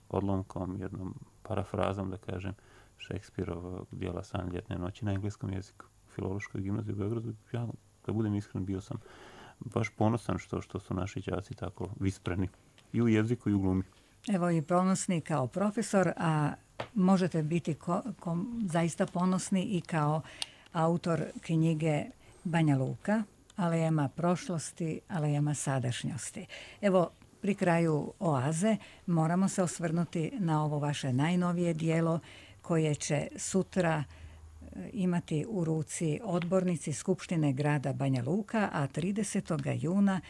odlomkom, jednom parafrazom, da kažem, Šekspirovog dijela San ljetne noći na engleskom jeziku. U Filološkoj gimnaziji u Beogradu, ja, da budem iskren, bio sam baš ponosan što su naši đaci tako vispreni i u jeziku i u glumi. Evo i ponosni kao profesor, a možete biti zaista ponosni i kao autor knjige Banja Luka, alejama prošlosti, alejama sadašnjosti. Evo, pri kraju Oaze moramo se osvrnuti na ovo vaše najnovije dijelo koje će sutra imati u ruci odbornici Skupštine grada Banja Luka, a 30. juna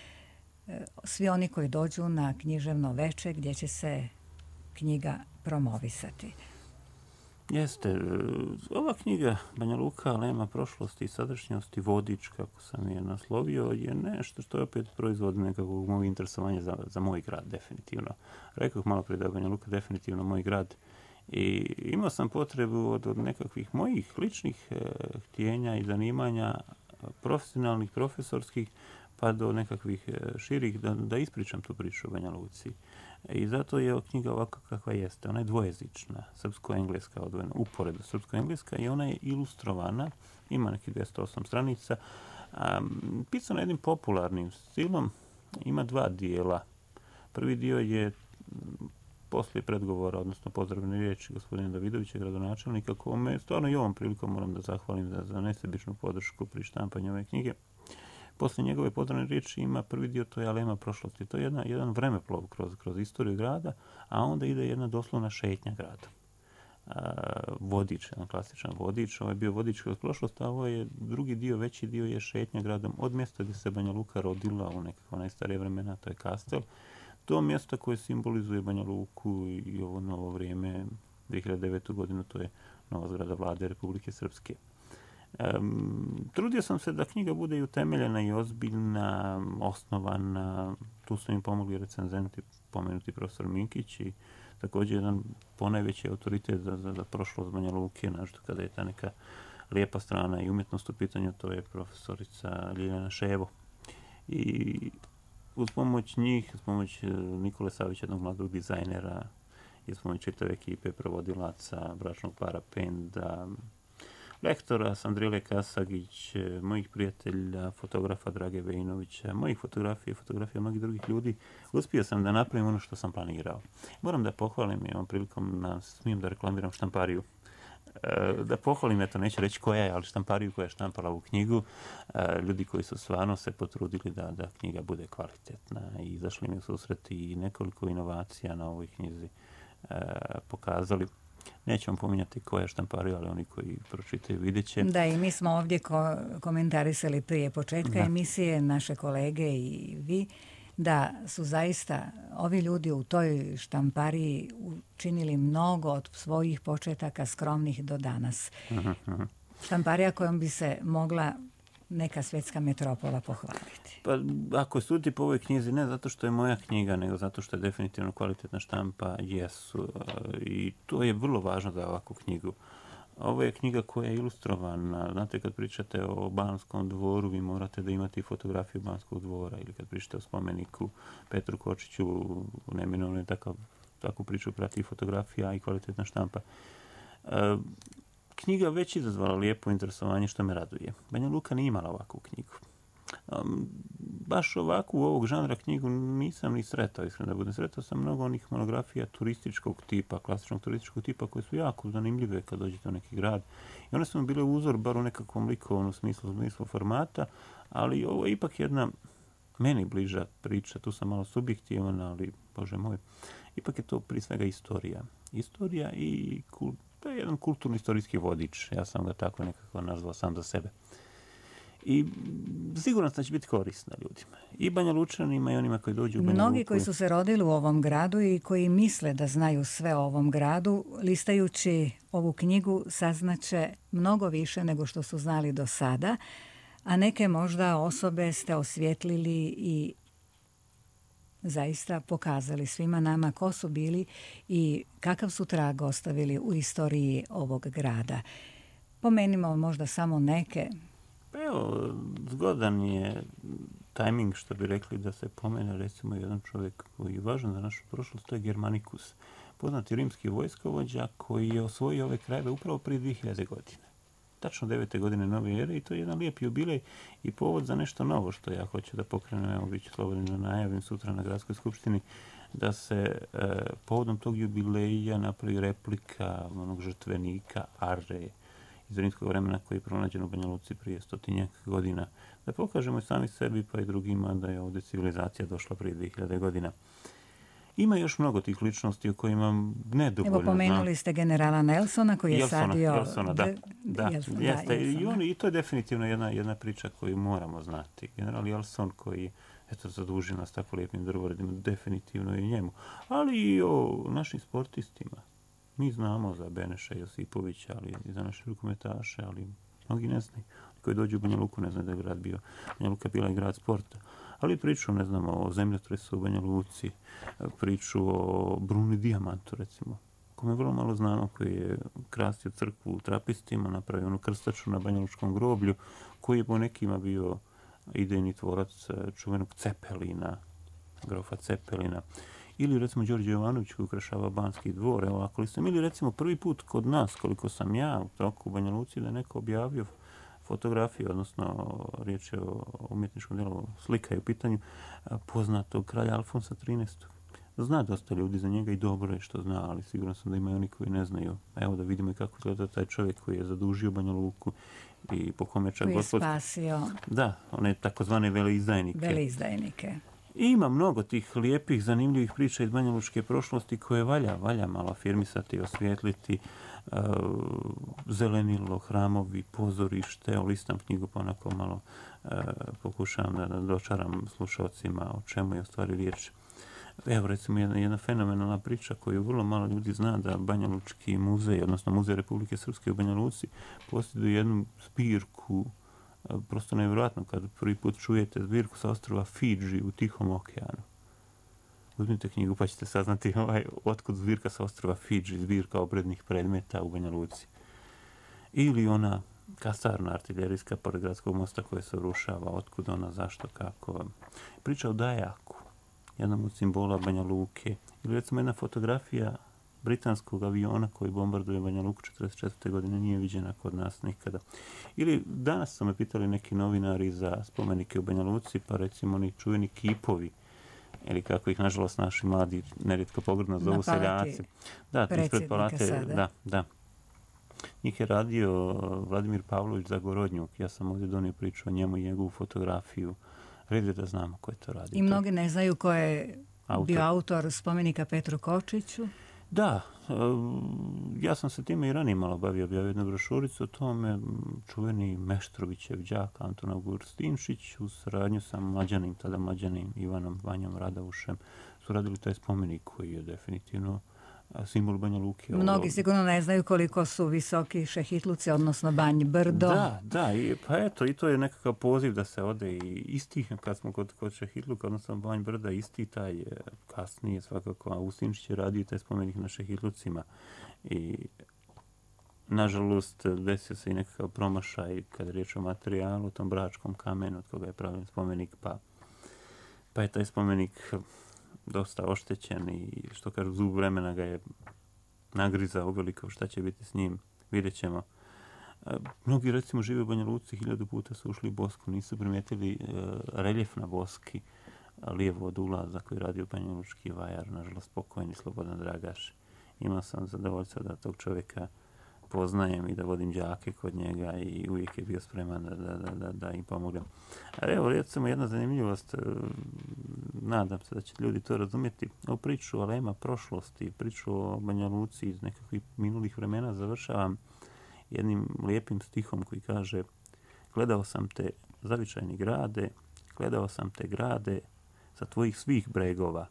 svi oni koji dođu na književno veče gdje će se knjiga promovisati. Jeste. Ova knjiga Banja Luka, alejama prošlosti i sadašnjosti, vodič, kako sam je naslovio, je nešto što je opet proizvod nekakvog mog interesovanja za moj grad, definitivno. Rekao malo prije da je Banja Luka definitivno moj grad i imao sam potrebu od nekakvih mojih ličnih htjenja i zanimanja, profesionalnih, profesorskih, pa do nekakvih širih, da ispričam tu priču o Banja Luci. I zato je knjiga ovako kakva jeste. Ona je dvojezična, srpsko-engleska odvojena, uporedo srpsko-engleska i ona je ilustrovana, ima nekih 208 stranica, pisana jednim popularnim stilom, ima dva dijela. Prvi dio je poslije predgovora, odnosno pozdravne riječi gospodina Davidovića, gradonačelnika, kome stvarno i ovom prilikom moram da zahvalim za nesebičnu podršku pri štampanju ove knjige. Poslije njegove podane riječi ima prvi dio, to je Alema prošlosti. To je jedan vremeplov kroz istoriju grada, a onda ide jedna doslovna šetnja grada. Vodič, jedan klasičan vodič. Ovo je bio vodič kroz prošlost, a ovo je drugi dio, veći dio je šetnja gradom od mjesta gdje se Banja Luka rodila u nekakva najstarije vremena, to je Kastel, do mjesta koje simbolizuje Banja Luku i ovo novo vrijeme, 2009. godinu, to je nova zgrada vlade Republike Srpske. Trudio sam se da knjiga bude i utemeljena i ozbiljna, osnovana. Tu su im pomogli recenzenti, pomenuti profesor Minkić i također jedan ponajveći autoritet za prošlost Banja Luke, našto kada je ta neka lijepa strana i umjetnost u pitanju, to je profesorica Ljiljana Ševo. I uz pomoć njih, uz pomoć Nikole Savića, jednog mladog dizajnera, i uz pomoć čitave ekipe prevodilaca, bračnog para Penda, lektora Sandrile Kasagić, mojih prijatelja, fotografa Drage Vejinovića, mojih fotografija mnogih drugih ljudi, uspio sam da napravim ono što sam planirao. Moram da pohvalim i ovom prilikom, smijem da reklamiram štampariju. Da pohvalim, eto, neću reći koja je, ali štampariju koja je štampala ovu knjigu, ljudi koji su stvarno se potrudili da knjiga bude kvalitetna i izašli mi u susret i nekoliko inovacija na ovoj knjizi pokazali. Nećemo pominjati koja je štamparija, ali oni koji pročitaju vidjet će. Da, i mi smo ovdje komentarisali prije početka emisije, naše kolege i vi, da su zaista ovi ljudi u toj štampariji učinili mnogo od svojih početaka skromnih do danas. Štamparija kojom bi se mogla neka svjetska metropola pohvaliti. Pa, ako suditi po ovoj knjizi, ne zato što je moja knjiga, nego zato što je definitivno kvalitetna štampa, jesu. I to je vrlo važno za ovakvu knjigu. Ovo je knjiga koja je ilustrovana. Znate, kad pričate o Banskom dvoru, vi morate da imate fotografiju Banskog dvora, ili kad pričate o spomeniku Petru Kočiću, neminovno je takvu priču prati fotografija i kvalitetna štampa. Knjiga već izazvala lijepo interesovanje, što me raduje. Banja Luka nije imala ovakvu knjigu. Baš ovakvu ovog žanra knjigu nisam ni sretao, iskreno da budem. Sretao sam mnogo onih monografija turističkog tipa, klasičnog turističkog tipa, koje su jako zanimljive kad dođete u neki grad. I one su mi bile uzor, bar u nekakvom likovnom smislu formata, ali ovo je ipak jedna meni bliža priča. Tu sam malo subjektivan, ali, Bože moj, ipak je to prije svega istorija. Istorija i to je jedan kulturno-istorijski vodič. Ja sam ga tako nekako nazvao sam za sebe. I siguran sam da će biti korisna ljudima. I Banja Lučanima i onima koji dođu u Banja Luku. Mnogi koji su se rodili u ovom gradu i koji misle da znaju sve o ovom gradu, listajući ovu knjigu saznaće mnogo više nego što su znali do sada, a neke možda osobe ste osvjetlili i zaista pokazali svima nama ko su bili i kakav su trag ostavili u istoriji ovog grada. Pomenimo možda samo neke. Pa evo, zgodan je tajming, što bi rekli, da se pomene recimo jedan čovjek koji je važan za našu prošlost, to je Germanicus, poznati rimski vojskovođa koji je osvojio ove krajeve upravo prije 2000 godine. Tačno 9. godine nove ere, i to je jedan lijep jubilej i povod za nešto novo što ja hoću da pokrenem. Evo, bit ću slobodan da najavim sutra na Gradskoj skupštini da se povodom tog jubileja napravi replika onog žrtvenika Are iz rimskog vremena koji je pronađen u Banja Luci prije 100 godina. Da pokažemo i sami sebi pa i drugima da je ovdje civilizacija došla prije 2000 godina. Ima još mnogo tih ličnosti o kojima nedovoljno znam. Evo, pomenuli ste generala Nelsona koji je sadio... Jelsona, da. I to je definitivno jedna priča koju moramo znati. General Jelson koji zadužio nas tako lijepim drvoredima, definitivno i njemu. Ali i o našim sportistima. Mi znamo za Beneša Josipovića, ali i za naše rukometaše, ali mnogi ne znaju. Koji dođu u Banja Luku ne znaju da je grad bio. Banja Luka bila i grad sporta. Ali priču, ne znamo, o zemljotresu u Banja Luci, priču o Bruni Dijamantu, recimo, kome vrlo malo znamo, koji je krastio crkvu u Trapistima, napravio onu krstaču na Banja Lučkom groblju, koji je po nekima bio idejni tvorac čuvenog Cepelina, grofa Cepelina. Ili recimo Đorđe Jovanović koji ukrašava Banski dvor, evo ako li sam, ili recimo prvi put kod nas, koliko sam ja u toku u Banja Luci, da je neko objavio fotografiju, odnosno riječ je o umjetničkom djelu, slika je u pitanju poznatog kralja Alfonsa XIII. Zna dosta ljudi za njega i dobro je što zna, ali sigurno sam da ima i oni koji ne znaju. Evo da vidimo i kako gleda taj čovjek koji je zadužio Banja Luku i po kome čak koji je spasio. Da, one takozvane veleizdajnike. I ima mnogo tih lijepih, zanimljivih priča iz banjalučke prošlosti koje valja malo afirmisati, osvijetliti. Zelenilo, hramovi, pozorište, listam knjigu pa onako malo pokušavam da dočaram slušalcima o čemu je u stvari riječ. Evo recimo jedna fenomenalna priča koju vrlo malo ljudi zna, da Banjalučki muzej, odnosno Muzej Republike Srpske u Banja Luci, posjeduje jednu zbirku, prosto nevjerojatno kad prvi put čujete zbirku sa ostrva Fidži u Tihom okeanu. Uzmite knjigu pa ćete saznati otkud zbirka sa ostrva Fidži, zbirka obrednih predmeta u Banja Luci. Ili ona kasarna artiljerijska pored gradskog mosta koja se urušava, otkud ona, zašto, kako. Priča o Dajaku, jednom od simbola Banja Luke. Ili recimo jedna fotografija britanskog aviona koji bombarduje Banja Luku 1944. godine nije viđena kod nas nikada. Ili danas su me pitali neki novinari za spomenike u Banja Luci, pa recimo oni čuveni kipovi, ili kako ih nažalost naši mladi nerijetko pogrdno zovu seljaci. Da, ispred palate, da. Njih je radio Vladimir Pavlović Zagorodnjuk. Ja sam ovdje donio priču o njemu i njegovu fotografiju. Red je da znamo ko je to radio. I mnogi ne znaju ko je bio autor spomenika Petru Kočiću. Da, ja sam se time i ranije malo bavio, objavio jednu brošuricu o tome. Čuveni Meštrovićev đak Anton Augustinčić u saradnju sa tada mlađanim Ivanom Vanjom Radavušem su radili taj spomenik koji je definitivno simbol Banja Luke. Mnogi sigurno ne znaju koliko su visoki Šehitluci, odnosno Banj Brdo. Da, pa eto, i to je nekakav poziv da se ode i isti, kad smo kod Šehitluka, odnosno Banj Brda, isti taj kasnije svakako Augustinčić je radio taj spomenik na Šehitlucima. I nažalost desio se i nekakav promašaj kada je riječ o materijalu, o tom bračkom kamenu od koga je pravljen spomenik, pa je taj spomenik dosta oštećen i što kažu zub vremena ga je nagrizao uveliko. Šta će biti s njim, vidjet ćemo. Mnogi recimo žive u Banja Luci, 1000 puta su ušli u Bosku, nisu primijetili reljef na Boski, lijevo od ulaza koji radio banjalučki vajar, nažalost pokojni Slobodan Dragaš. Imao sam zadovoljstvo da tog čovjeka poznajem i da vodim đake kod njega i uvijek je bio spreman da im pomognem. Evo, recimo jedna zanimljivost, nadam se da će ljudi to razumjeti. Ovu priču o lema prošlosti, priču o Banja Luci iz nekakvih minulih vremena završavam jednim lijepim stihom koji kaže: gledao sam te, zavičajni grade, gledao sam te grade sa tvojih svih bregova,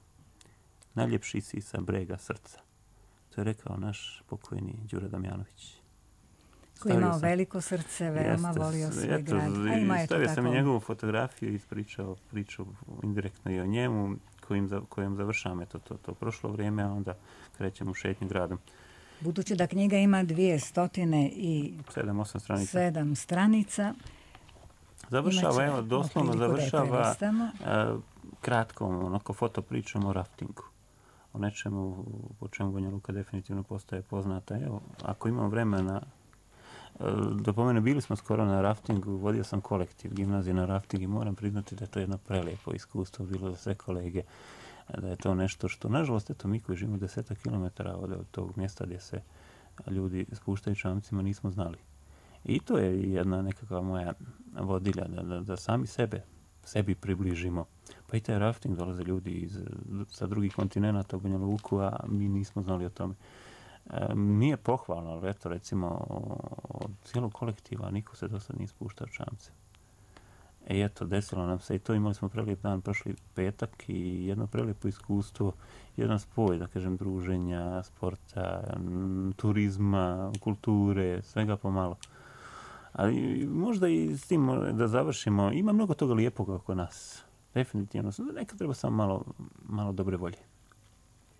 najljepši si sa brega srca. To je rekao naš pokojni Đuro Damjanović. Koji je imao veliko srce, veoma volio svoj grad. Stavio sam i njegovu fotografiju i ispričao priču indirektno i o njemu, kojom završam to prošlo vrijeme, a onda krećem u šetnju gradom. Budući da knjiga ima 207 stranica, završava, evo, doslovno završava kratkom, onako fotopričom o raftingu. O nečemu po čemu Banja Luka definitivno postaje poznata. Evo, ako imam vremena, da pomene, bili smo skoro na raftingu, vodio sam kolektiv gimnazije na rafting i moram priznati da je to jedno prelijepo iskustvo bilo za sve kolege, da je to nešto što, nažalost, eto, mi koji živimo 10 kilometara od tog mjesta gdje se ljudi spuštaju čamcima nismo znali. I to je jedna nekakva moja vodilja, da sami sebi približimo. Pa i taj rafting, dolaze ljudi sa drugih kontinenta u Banja Luku, a mi nismo znali o tome. Nije pohvalno, ali eto, recimo, od cijelog kolektiva niko se do sad nije spuštao čamce. I eto, desilo nam se i to, imali smo prelijep dan prošli petak i jedno prelijepo iskustvo, jedan spoj, da kažem, druženja, sporta, turizma, kulture, svega pomalo. Ali možda i s tim da završimo, ima mnogo toga lijepog oko nas. Definitivno. Nekad treba samo malo dobre volje.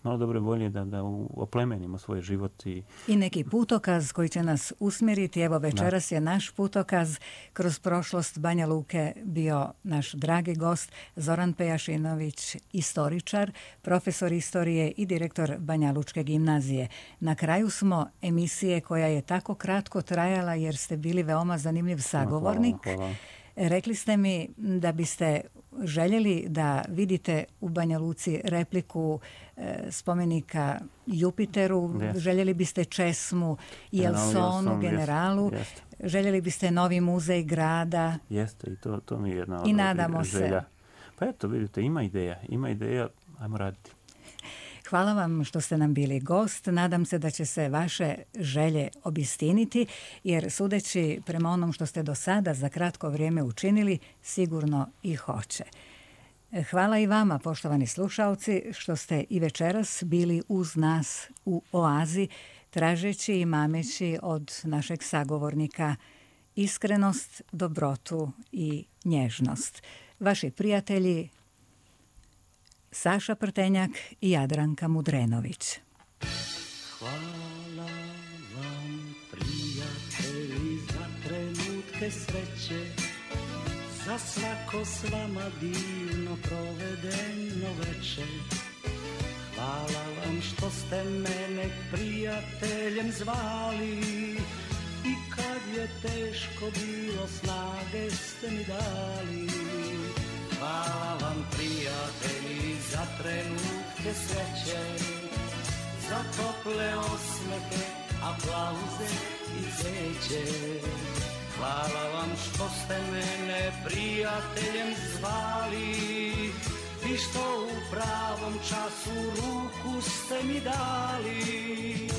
Malo dobre volje da oplemenimo svoj život. I neki putokaz koji će nas usmjeriti. Evo, večeras je naš putokaz kroz prošlost Banja Luke bio naš dragi gost Zoran Pejašinović, istoričar, profesor istorije i direktor Banjalučke gimnazije. Na kraju smo emisije koja je tako kratko trajala jer ste bili veoma zanimljiv sagovornik. Hvala. Rekli ste mi da biste željeli da vidite u Banja Luci repliku spomenika Jupiteru, željeli biste česmu Jelsonu, generalu, željeli biste novi muzej grada. Jeste, i to mi je jedna I nadamo želja. se. Pa eto, vidite, ima ideja, ajmo raditi. Hvala vam što ste nam bili gost. Nadam se da će se vaše želje obistiniti, jer sudeći prema onom što ste do sada za kratko vrijeme učinili, sigurno i hoće. Hvala i vama, poštovani slušalci, što ste i večeras bili uz nas u Oazi, tražeći i mameći od našeg sagovornika iskrenost, dobrotu i nježnost. Vaši prijatelji Saša Prtenjak i Jadranka Mudrenović. Hvala vam, prijatelji, za trenutke sreće, za svako s vama divno provedeno večer. Hvala vam što ste mene prijateljem zvali i kad je teško bilo snage ste mi dali. Hvala vam, prijatelji, za trenutke sreće, za tople osmehe, aplauze i cveće. Hvala vam što ste mene prijateljem zvali i što u pravom času ruku ste mi dali.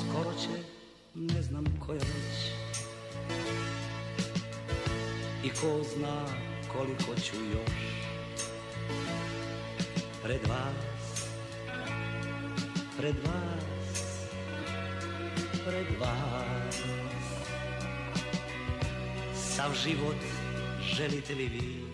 Skoro će, ne znam koja već, i ko zna koliko ću još pred vas, pred vas, pred vas. Sav život želite li vi